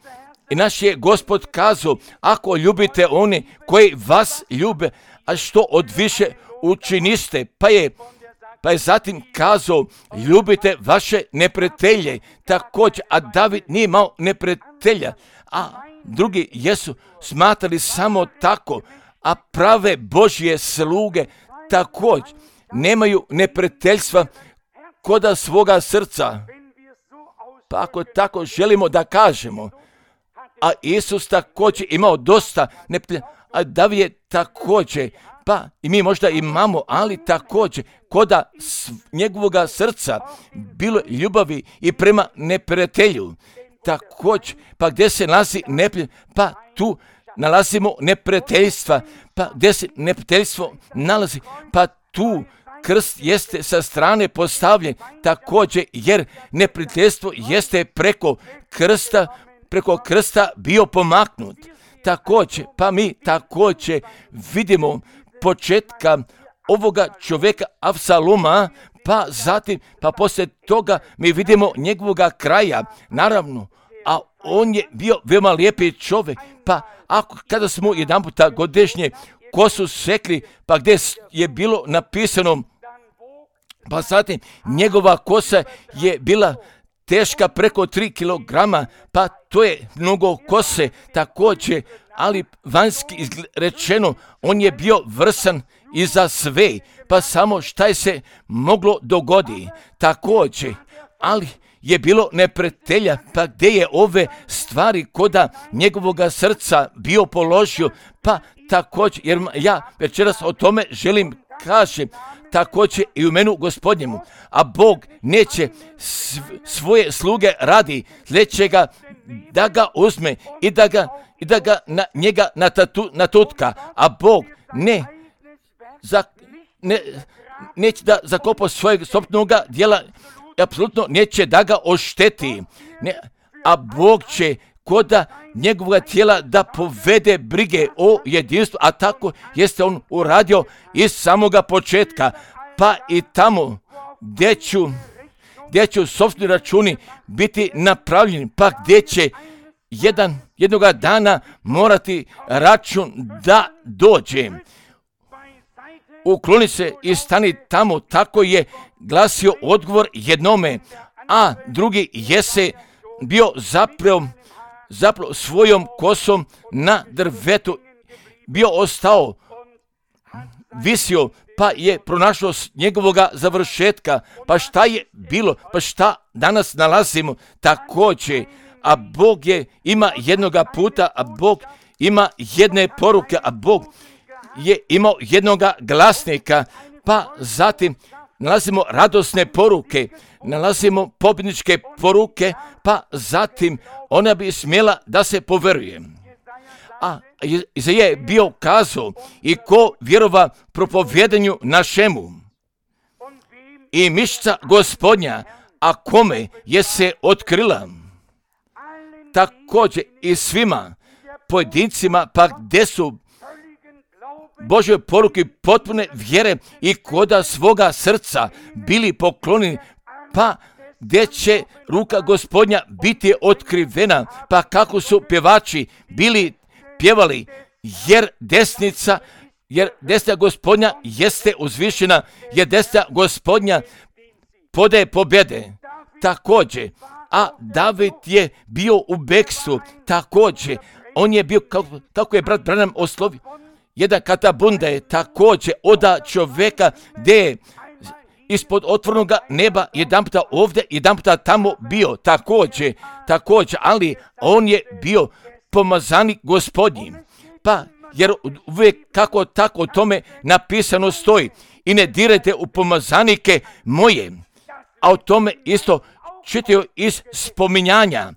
I naš je Gospod kazao, ako ljubite one koji vas ljube, a što od više učiniste, pa je, pa je zatim kazao, ljubite vaše neprijatelje. Također, a David nije imao neprijatelja, a drugi jesu smatrali samo tako, a prave Božje sluge također nemaju neprijateljstva koda svoga srca. Pa ako tako želimo da kažemo, a Isus također imao dosta neprijatelja, a David je također pa i mi možda imamo, ali također koda njegovoga srca bilo ljubavi i prema neprijatelju. Također, pa gdje se nalazi neprijatelj, pa tu nalazimo neprijateljstva, pa gdje se neprijateljstvo nalazi, pa tu krst jeste sa strane postavljen također, jer neprijateljstvo jeste preko krsta, preko krsta bio pomaknut. Također, pa mi također vidimo početka ovoga čovjeka Avsaloma, pa zatim, pa poslije toga mi vidimo njegovoga kraja, naravno, a on je bio veoma lijepi čovjek, pa ako kada smo jedan puta godišnje kosu sekli, pa gdje je bilo napisano, pa zatim njegova kosa je bila teška preko tri kilograma, pa to je mnogo kose također, ali vanjski rečeno on je bio vrsan i za sve, pa samo šta je se moglo dogodi također, ali je bilo neprijatelja, pa gdje je ove stvari koda njegovoga srca bio položio, pa također, jer ja večeras o tome želim kažem, također i u imenu Gospodnjemu, a Bog neće svoje sluge radi, neće ga da ga uzme i da ga, i da ga na njega natatu, natutka, a Bog ne, za, ne neće da zakopa svojeg sobstvenog djela, apsolutno neće da ga ošteti, ne, a Bog će koda njegovog tijela da povede brige o jedinstvu, a tako jeste on uradio iz samoga početka, pa i tamo gdje ću, gdje ću sopstveni računi biti napravljeni, pa gdje će jedan, jednoga dana morati račun da dođe. Ukloni se i stani tamo, tako je glasio odgovor jednome, a drugi jese bio zapravo zapravo svojom kosom na drvetu, bio ostao, visio, pa je pronašao njegovoga završetka, pa šta je bilo, pa šta danas nalazimo također, a Bog je, ima jednoga puta, a Bog ima jedne poruke, a Bog je imao jednoga glasnika, pa zatim nalazimo radosne poruke, nalazimo pobjedničke poruke, pa zatim ona bi smjela da se poveruje. A Izaija je bio kazao, i ko vjerova propovjedanju našemu i mišca Gospodnja, a kome je se otkrila. Također i svima pojedincima, pa gdje su Božje poruke potpune vjere i koda svoga srca bili poklonjeni, pa gdje će ruka Gospodnja biti otkrivena, pa kako su pjevači bili pjevali, jer desnica, jer desna Gospodnja jeste uzvišena, jer desna Gospodnja podaje pobjede. Također, a David je bio u bekstvu, također, on je bio, kako, kako je brat Branham oslovio, jedan katabunda je također oda čovjeka gdje je ispod otvornog neba jedan puta ovdje, jedan puta tamo bio, također, također, ali on je bio pomazanik Gospodnji. Pa, jer uvijek kako tako o tome napisano stoji, i ne dirajte u pomazanike moje, a o tome isto čitaju iz spominjanja,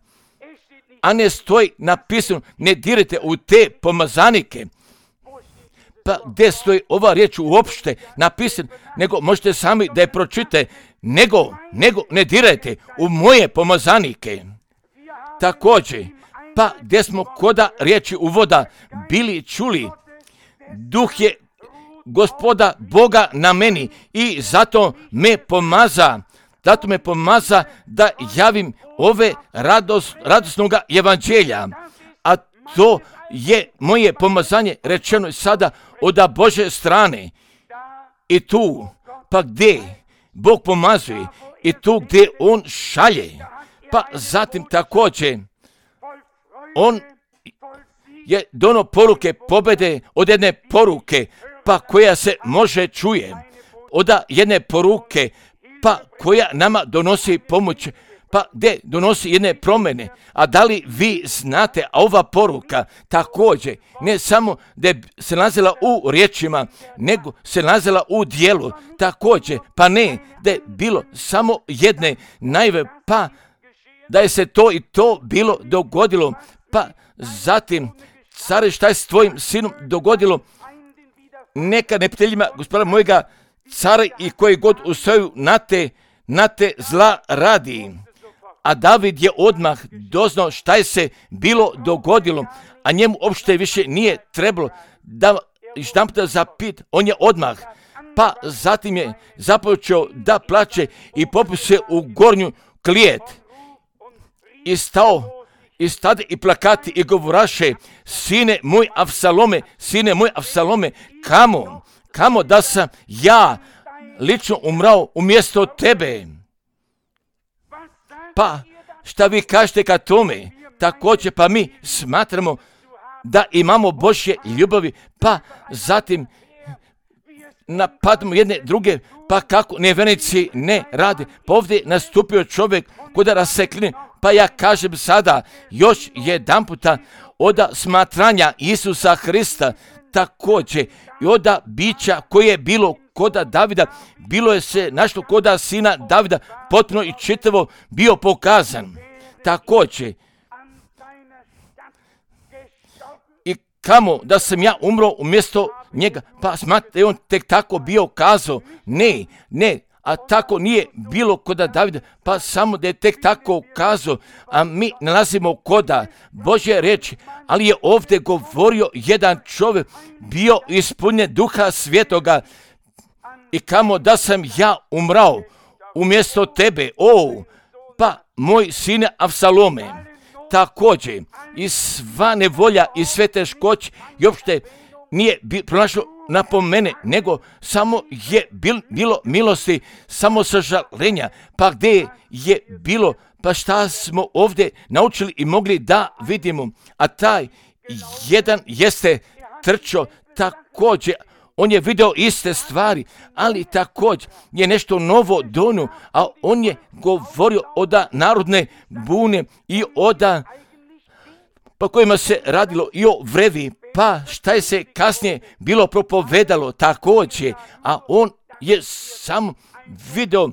a ne stoji napisano, ne dirajte u te pomazanike. Pa gdje stoji ova riječ uopšte napisan, nego možete sami da je pročite, nego, nego ne dirajte u moje pomazanike. Također, pa gdje smo koda riječi uvoda bili čuli, duh je Gospoda Boga na meni i zato me pomaza, zato me pomaza da javim ove radost, radosnoga evanđelja, a to je moje pomazanje rečeno sada od Božje strane. I tu, pa gdje Bog pomazuje, i tu gdje On šalje, pa zatim također On je dono poruke pobjede od jedne poruke, pa koja se može čuje, od jedne poruke, pa koja nama donosi pomoć, pa gdje donosi jedne promjene. A da li vi znate, a ova poruka također ne samo da je se nalazila u riječima, nego se nalazila u dijelu također, pa ne da je bilo samo jedne najve, pa da je se to i to bilo dogodilo, pa zatim, care, šta je s tvojim sinom dogodilo? Neka neprijateljima gospodara mojega, care i koji god ustaju na te, na te zla radi. A David je odmah doznao šta je se bilo dogodilo, a njemu uopšte više nije trebalo da štamputa zapit, on je odmah, pa zatim je započeo da plače i popio se u gornju klijet i stao i stade i plakati i govoraše, sine moj Avsalome, sine moj Avsalome, kamo, kamo da sam ja lično umrao umjesto tebe. Pa šta vi kažete ka tome? Također pa mi smatramo da imamo Božje ljubavi, pa zatim napadamo jedne druge, pa kako nevjernici ne rade. Pa ovdje nastupio čovjek kod rasekline, pa ja kažem sada još jedan puta od smatranja Isusa Hrista također i od bića koje je bilo koda Davida, bilo je se našlo koda sina Davida, potpuno i čitavo bio pokazan. Također, i kamo da sam ja umro umjesto njega, pa smatrate, on tek tako bio kazao, ne, ne, a tako nije bilo koda Davida, pa samo da je tek tako kazao, a mi nalazimo koda Božje reči, ali je ovdje govorio jedan čovjek, bio ispunjen Duha Svetoga, i kamo da sam ja umrao umjesto tebe, o, pa moj sine Avsalome, također i sva nevolja i sve teškoće i uopšte nije pronašlo napomene, nego samo je bil, bilo milosti, samo sažalenja, pa gdje je bilo, pa šta smo ovdje naučili i mogli da vidimo, a taj jedan jeste trčao također, on je video iste stvari, ali također je nešto novo donio, a on je govorio od narodne bune i od po kojima se radilo i o vrevi, pa šta je se kasnije bilo propovedalo također, a on je samo video,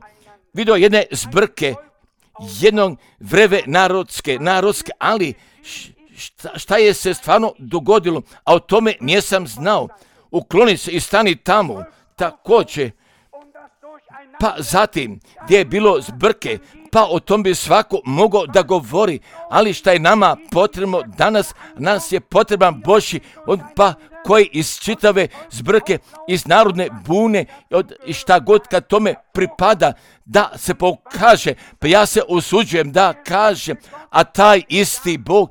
video jedne zbrke, jednog vreve narodske, narodske, ali šta, šta je se stvarno dogodilo, a o tome nisam znao. Ukloni se i stani tamo, također, pa zatim gdje je bilo zbrke, pa o tom bi svako mogao da govori, ali šta je nama potrebno danas, nas je potreban Božji, pa koji iz čitave zbrke, iz narodne bune i šta god kad tome pripada, da se pokaže, pa ja se usuđujem da kažem, a taj isti Bog,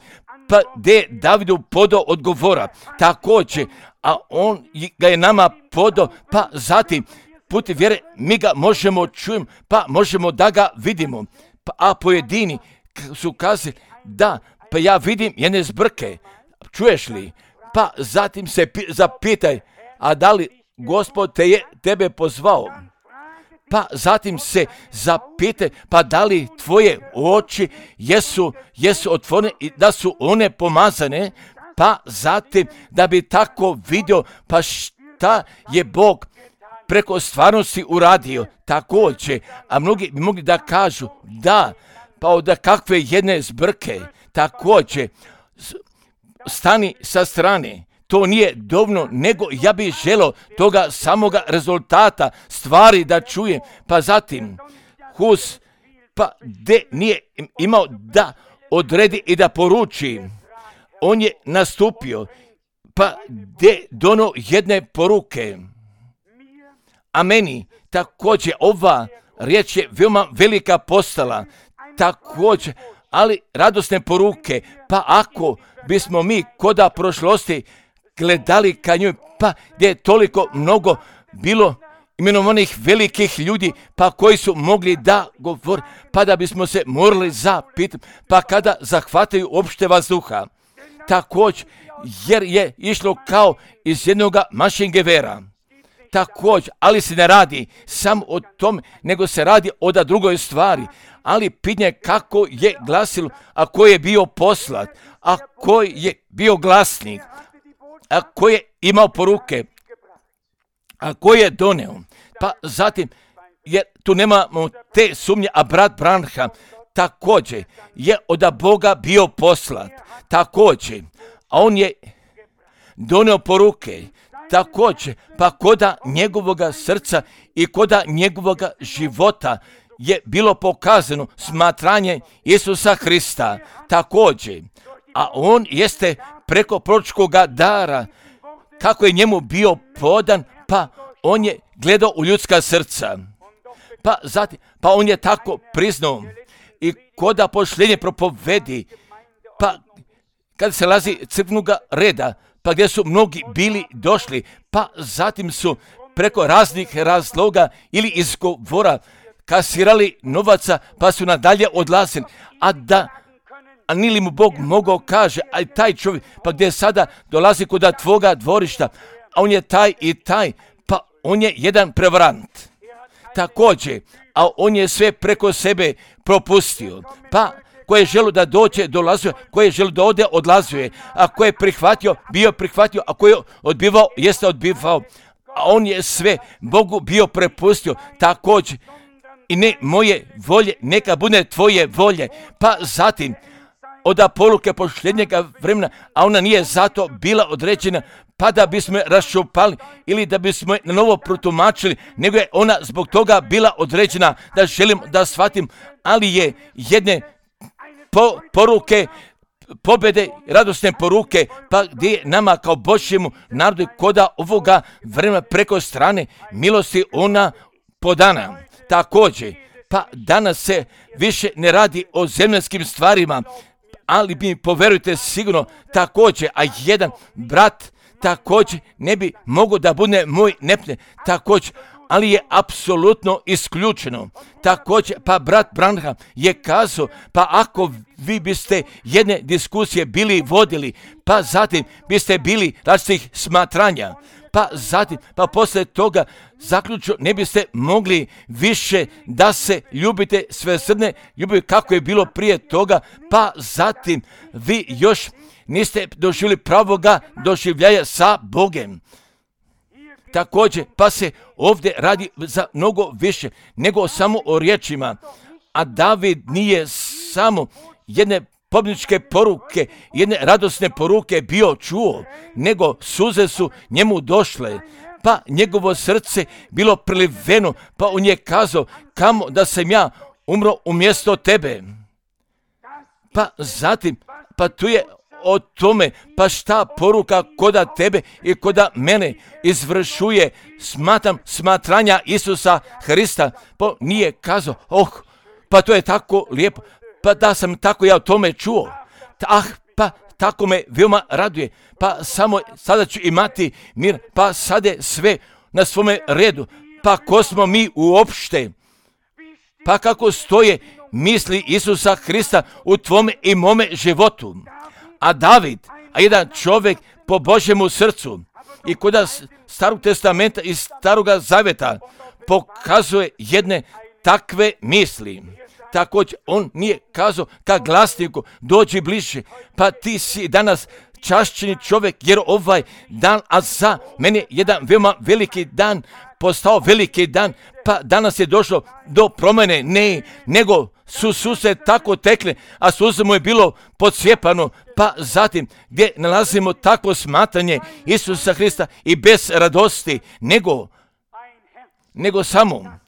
pa gdje Davidu podao odgovora, također, a on ga je nama podao, pa zatim putem vjere mi ga možemo čujem, pa možemo da ga vidimo. Pa, a pojedini su kazali da, pa ja vidim jedne zbrke, čuješ li? Pa zatim se pi, zapitaj, a da li Gospod te je tebe pozvao? Pa zatim se zapitaj, pa da li tvoje oči jesu, jesu otvorene i da su one pomazane? Pa zatim da bi tako vidio, pa šta je Bog preko stvarnosti uradio također, a mnogi bi mogli da kažu da, pa od kakve jedne zbrke također stani sa strane, to nije dovoljno, nego ja bih želio toga samoga rezultata stvari da čujem, pa zatim Hus, pa de nije imao da odredi i da poruči, on je nastupio, pa de dono jedne poruke. A meni također ova riječ je veoma velika postala, također, ali radosne poruke, pa ako bismo mi koda prošlosti gledali ka njoj, pa gdje je toliko mnogo bilo imenovanih velikih ljudi, pa koji su mogli da govore, pa da bismo se morali zapitati, pa kada zahvataju opšte vazduha, također, jer je išlo kao iz jednog mašingevera. Također, ali se ne radi samo o tome, nego se radi o da drugoj stvari. ali pitanje kako je glasilo, a ko je bio poslat, a ko je bio glasnik, a ko je imao poruke, a ko je doneo. Pa zatim, jer tu nemamo te sumnje, a brat Branham također je od Boga bio poslat, također, a on je doneo poruke, također, pa koda njegovoga srca i koda njegovoga života je bilo pokazano smatranje Isusa Hrista, također, a on jeste preko proročkoga dara, kako je njemu bio podan, pa on je gledao u ljudska srca, pa zatim, pa on je tako priznao i koda pošljenje propovedi, pa kad se lazi crkvenoga reda, pa gdje su mnogi bili došli, pa zatim su preko raznih razloga ili izgovora kasirali novaca, pa su nadalje odlazili, a da a nili mu Bog mogao kaže, a i taj čovjek, pa gdje sada dolazi kod tvoga dvorišta, a on je taj i taj, pa on je jedan prevarant. Također, a on je sve preko sebe propustio, pa ko je želio da dođe, dolazio, ko je želio da ode, odlazio je, a ko je prihvatio, bio prihvatio, a ko je odbivao, jeste odbivao, a on je sve Bogu bio prepustio, također, i ne moje volje, neka bude tvoje volje, pa zatim, od poruke posljednjega vremena, a ona nije zato bila određena, pa da bismo je raščupali ili da bismo je na novo protumačili, nego je ona zbog toga bila određena, da želim da shvatim, ali je jedne po, poruke, pobjede, radosne poruke, pa gdje je nama kao Božjemu narodu koda ovoga vremena preko strane milosti ona podana. Također, pa danas se više ne radi o zemaljskim stvarima, ali mi poverujte sigurno također, a jedan brat također ne bi mogao da bude moj nepne, također, ali je apsolutno isključeno. Također, pa brat Branham je kazao, pa ako vi biste jedne diskusije bili vodili, pa zatim biste bili različitih smatranja, pa zatim, pa poslije toga zaključno ne biste mogli više da se ljubite svesrdne, ljubite kako je bilo prije toga, pa zatim vi još niste doživjeli pravoga doživljaja sa Bogem. Također, pa se ovdje radi za mnogo više nego samo o riječima, a David nije samo jedne pobjedničke poruke, jedne radosne poruke bio čuo, nego suze su njemu došle, pa njegovo srce bilo priliveno, pa on je kazao, kamo da sam ja umro umjesto tebe. Pa zatim, pa tu je o tome, pa šta poruka koda tebe i koda mene izvršuje, smatram smatranja Isusa Hrista, pa nije kazao, oh, pa to je tako lijepo, pa da sam tako ja o tome čuo, ah, pa tako me veoma raduje, pa samo sada ću imati mir, pa sada je sve na svome redu, pa ko smo mi uopšte, pa kako stoje misli Isusa Hrista u tvome i mome životu. A David, a jedan čovjek po Božjemu srcu i kod Starog testamenta i Staroga zavjeta pokazuje jedne takve misli. Također, on nije kazao ka glasniku, dođi bliže, pa ti si danas čašćeni čovjek, jer ovaj dan, a za mene jedan veoma veliki dan, postao veliki dan, pa danas je došlo do promjene, ne, nego su suse tako tekle, a suze mu je bilo podsjepano, pa zatim gdje nalazimo takvo smatranje Isusa Hrista i bez radosti, nego, nego samo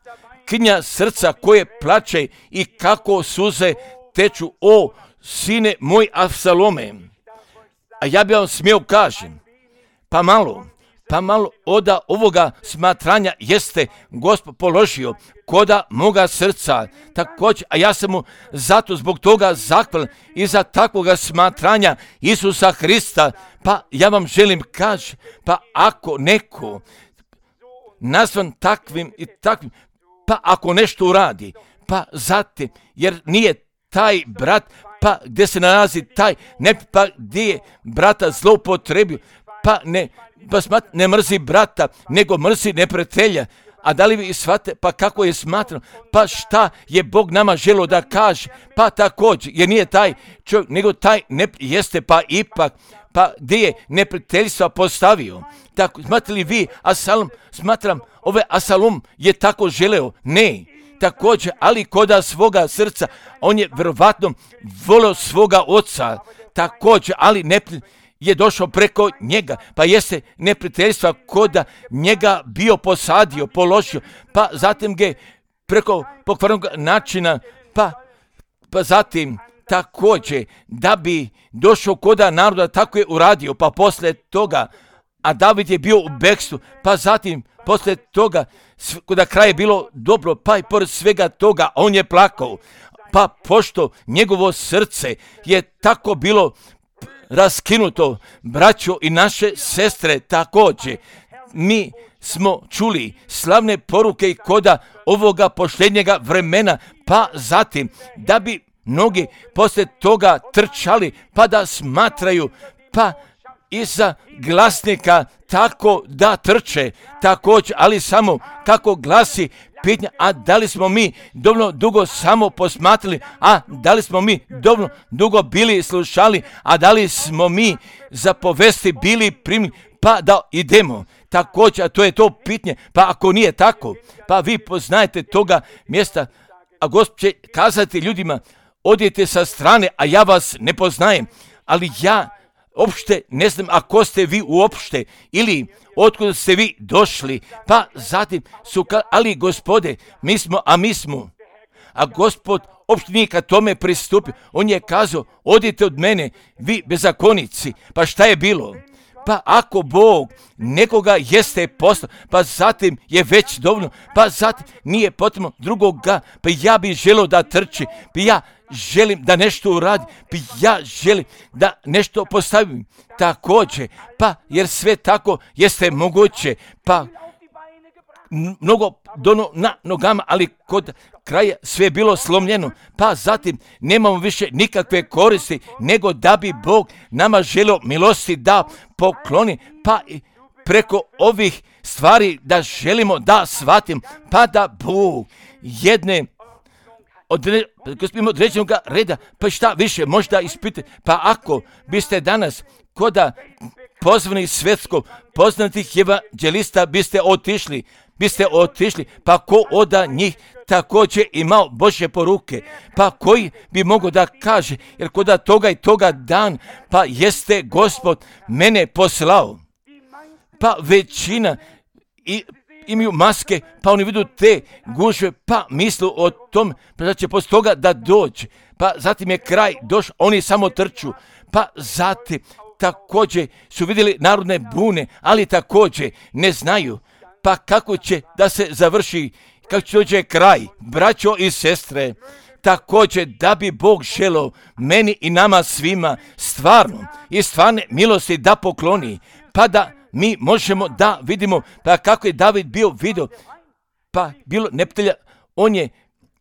knja srca koje plače i kako suze teču, o sine moj Avsalome. A ja bih vam smio kažem, pa malo, pa malo oda ovoga smatranja jeste Gospod položio koda moga srca, također, a ja sam mu zato zbog toga zahvalan i za takvoga smatranja Isusa Hrista, pa ja vam želim kaži, pa ako neko nazvan takvim i takvim, pa ako nešto uradi, pa zatim, jer nije taj brat, pa gdje se nalazi taj, ne, pa gdje je brata zloupotrebio, pa ne, pa smat, ne mrzi brata, nego mrzi neprijatelja, A da li vi shvate, pa kako je smatrano, pa šta je Bog nama želio da kaže, pa također, jer nije taj čovjek, nego taj ne jeste, pa ipak, pa gdje je neprijateljstva postavio. Tako, smatrate li vi, Asalom, smatram, ove Asalom je tako želeo? Ne. Također, ali koda svoga srca, on je vjerovatno volio svoga oca, također, ali ne je došao preko njega, pa jeste neprijateljstva koda njega bio posadio, položio, pa zatim ga preko pokvarnog načina, pa, pa zatim također da bi došao koda naroda, tako je uradio, pa poslije toga, a David je bio u bekstvu, pa zatim poslije toga, kada kraj je bilo dobro, pa i pored svega toga, on je plakao, pa pošto njegovo srce je tako bilo raskinuto, braćo i naše sestre, također, mi smo čuli slavne poruke i koda ovoga posljednjega vremena, pa zatim da bi mnogi poslije toga trčali, pa da smatraju, pa iza glasnika tako da trče, također, ali samo kako glasi pitanja, a da li smo mi dovoljno dugo samo posmatrali, a da li smo mi dovoljno dugo bili slušali, a da li smo mi za povesti bili primili, pa da idemo. Također, a to je to pitanje, pa ako nije tako, pa vi poznajete toga mjesta, a Gospod će kazati ljudima, odite sa strane, a ja vas ne poznajem, ali ja uopšte ne znam ako ste vi uopšte ili otkud ste vi došli, pa zatim su ka, ali Gospode, mi smo, a mi smo, a Gospod uopšte nije ka tome pristupio, on je kazao, odite od mene, vi bezakonici, pa šta je bilo? Pa ako Bog nekoga jeste poslao, pa zatim je već dovoljno, pa zatim nije potrebno drugoga, pa ja bih želio da trči, pa ja želim da nešto uradi, pa ja želim da nešto postavim također, pa jer sve tako jeste moguće, pa mnogo dono na nogama, ali kod kraja sve je bilo slomljeno, pa zatim nemamo više nikakve koristi, nego da bi Bog nama želio milosti da pokloni, pa i preko ovih stvari da želimo da shvatim, pa da Bog jedne Odre, određenog reda, pa šta više možda ispitati, pa ako biste danas koda pozvani svjetsko poznatih evanđelista biste otišli, biste otišli, pa ko oda njih također imao Božje poruke, pa koji bi mogao da kaže, jer koda toga i toga dan, pa jeste Gospod mene poslao, pa većina i imaju maske, pa oni vidu te gužve, pa mislu o tom, pa da će poslije toga da dođe, pa zatim je kraj došao, oni samo trču, pa zatim također su vidjeli narodne bune, ali također ne znaju, pa kako će da se završi, kako će dođe kraj, braćo i sestre, također da bi Bog želeo meni i nama svima stvarno i stvarne milosti da pokloni, pa da mi možemo da vidimo, pa kako je David bio vidio, pa bilo neprijatelja, on je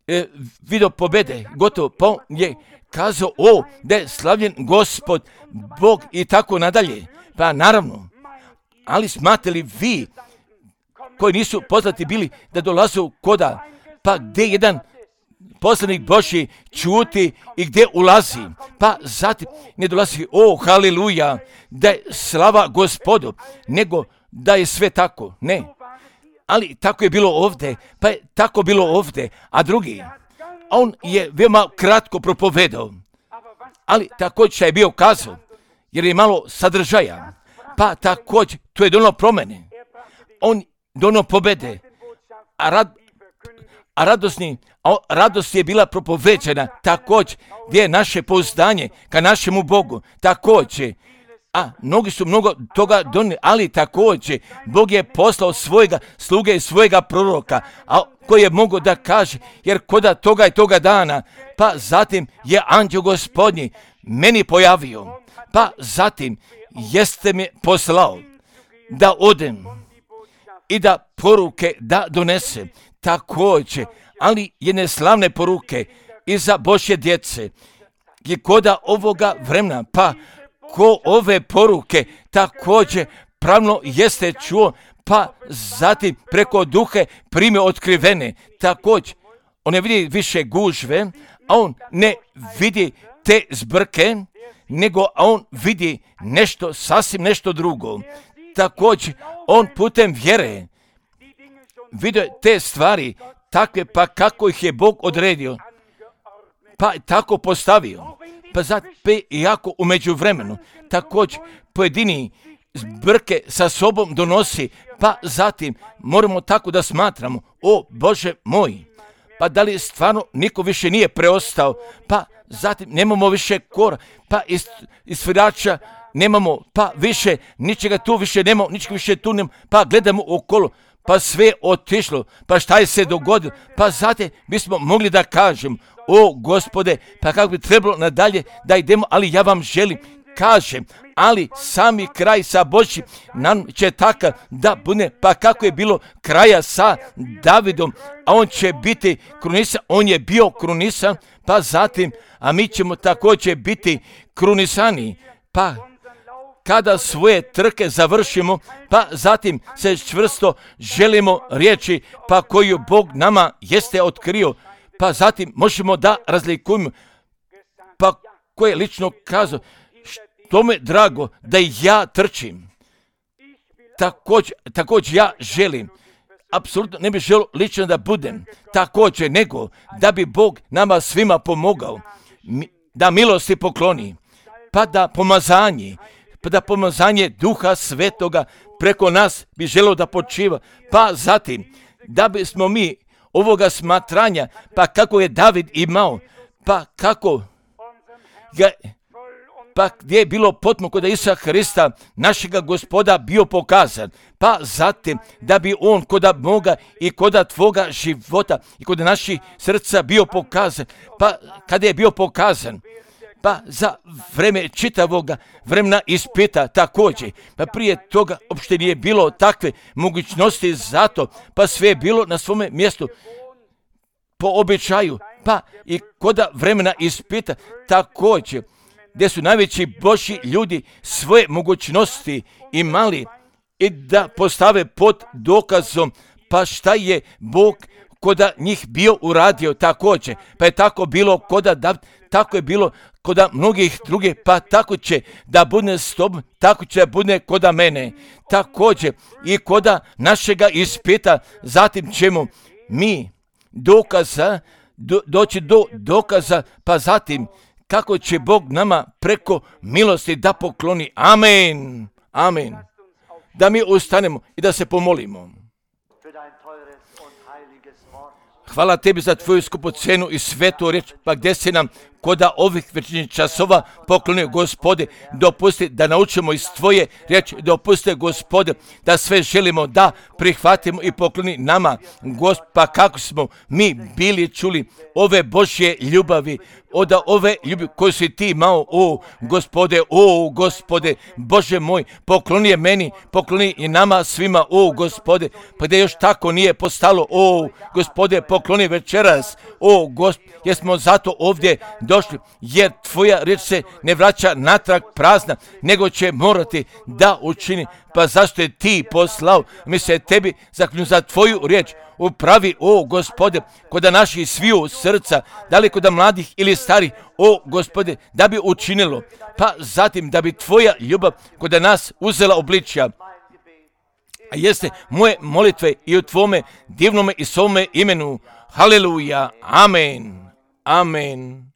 e, vidio pobjede, gotovo, pa on je kazao, o, da je slavljen Gospod, Bog i tako nadalje, pa naravno, ali smatrate li vi, koji nisu poznati bili, da dolaze u koda, pa gdje jedan poslanik Božji čuti i gdje ulazi, pa zatim ne dolazi, o, haleluja, da je slava Gospodu, nego da je sve tako, ne. Ali tako je bilo ovdje, pa je tako bilo ovdje, a drugi, on je veoma kratko propovedao, ali također je bio kazao, jer je malo sadržaja, pa također to je donalo promjene, on donao pobjede, a rad, a radosni, a radost je bila propoveđena također, gdje je naše pouzdanje ka našemu Bogu, također, a mnogi su mnogo toga donijeli, ali također, Bog je poslao svojega sluge i svojega proroka, a koji je mogao da kaže, jer koda toga i toga dana, pa zatim je anđeo Gospodnji meni pojavio, pa zatim jeste me poslao da odem i da poruke da donesem, također, ali jedne slavne poruke i za Božje djece, je koda ovoga vremena, pa ko ove poruke također pravno jeste čuo, pa zatim preko duhe prime otkrivene. Također, on ne vidi više gužve, a on ne vidi te zbrke, nego on vidi nešto, sasvim nešto drugo. Također, on putem vjere vidio te stvari takve, pa kako ih je Bog odredio, pa tako postavio. Pa zato, iako u međuvremenu također pojedini zbrke sa sobom donosi, pa zatim moramo tako da smatramo, o Bože moj, pa da li stvarno niko više nije preostao, pa zatim nemamo više kora, pa iz, iz svirača nemamo, pa više ničega tu više nemamo, ničega više tu nemamo, pa gledamo okolo, pa sve otišlo, pa šta je se dogodilo, pa zatim bismo mogli da kažem, o Gospode, pa kako bi trebalo nadalje da idemo, ali ja vam želim, kažem, ali sami kraj sa Božjim nam će takav da bude, pa kako je bilo kraja sa Davidom, a on će biti krunisan, on je bio krunisan, pa zatim, a mi ćemo također biti krunisani, pa kada svoje trke završimo, pa zatim se čvrsto želimo riječi, pa koju Bog nama jeste otkrio, pa zatim možemo da razlikujemo, pa ko je lično kazao, što me drago da i ja trčim. Također, također ja želim, apsolutno ne bih želio lično da budem također, nego da bi Bog nama svima pomogao, da milosti pokloni, pa da pomazanje, pa da pomazanje Duha Svetoga preko nas bi želio da počiva, pa zatim da bismo mi ovoga smatranja, pa kako je David imao, pa kako ga, pa gdje je bilo potpuno kod Isusa Hrista, našega Gospoda, bio pokazan, pa zatim da bi on koda moga i koda tvoga života i kod naših srca bio pokazan, pa kada je bio pokazan, pa za vreme čitavoga vremena ispita također, pa prije toga uopšte nije bilo takve mogućnosti zato, pa sve je bilo na svome mjestu po običaju, pa i koda vremena ispita također, gdje su najveći Božji ljudi svoje mogućnosti imali i da postave pod dokazom, pa šta je Bog koda njih bio uradio također, pa je tako bilo koda David, tako je bilo koda mnogih drugih, pa tako će da bude s tobom, tako će da bude koda mene, također i koda našega ispita, zatim ćemo mi dokaza, do, doći do dokaza, pa zatim kako će Bog nama preko milosti da pokloni. Amen. Amen. Da mi ustanemo i da se pomolimo. Hvala tebi za tvoju skupocenu i svetu riječ, pa gdje si nam koda ovih večernjih časova poklonio, Gospode, dopusti da naučimo iz tvoje riječi, dopusti, Gospode, da sve želimo da prihvatimo i pokloni nama, Gospod, pa kako smo mi bili čuli ove Božje ljubavi, od ove ljubavi koju si ti imao, o Gospode, o Gospode, Bože moj, pokloni je meni, pokloni i nama svima, o Gospode, pa gdje još tako nije postalo, o Gospode, pokloni večeras, o Gospode, jer smo zato ovdje došli, jer tvoja riječ se ne vraća natrag prazna, nego će morati da učini, pa zašto je ti poslao, mi se tebi zaklinju za tvoju riječ, upravi, o Gospode, koda naših sviju srca, da li koda mladih ili starih, o Gospode, da bi učinilo, pa zatim da bi tvoja ljubav koda nas uzela obličja. A jeste moje molitve i u tvome divnome i svome imenu. Haleluja. Amen. Amen.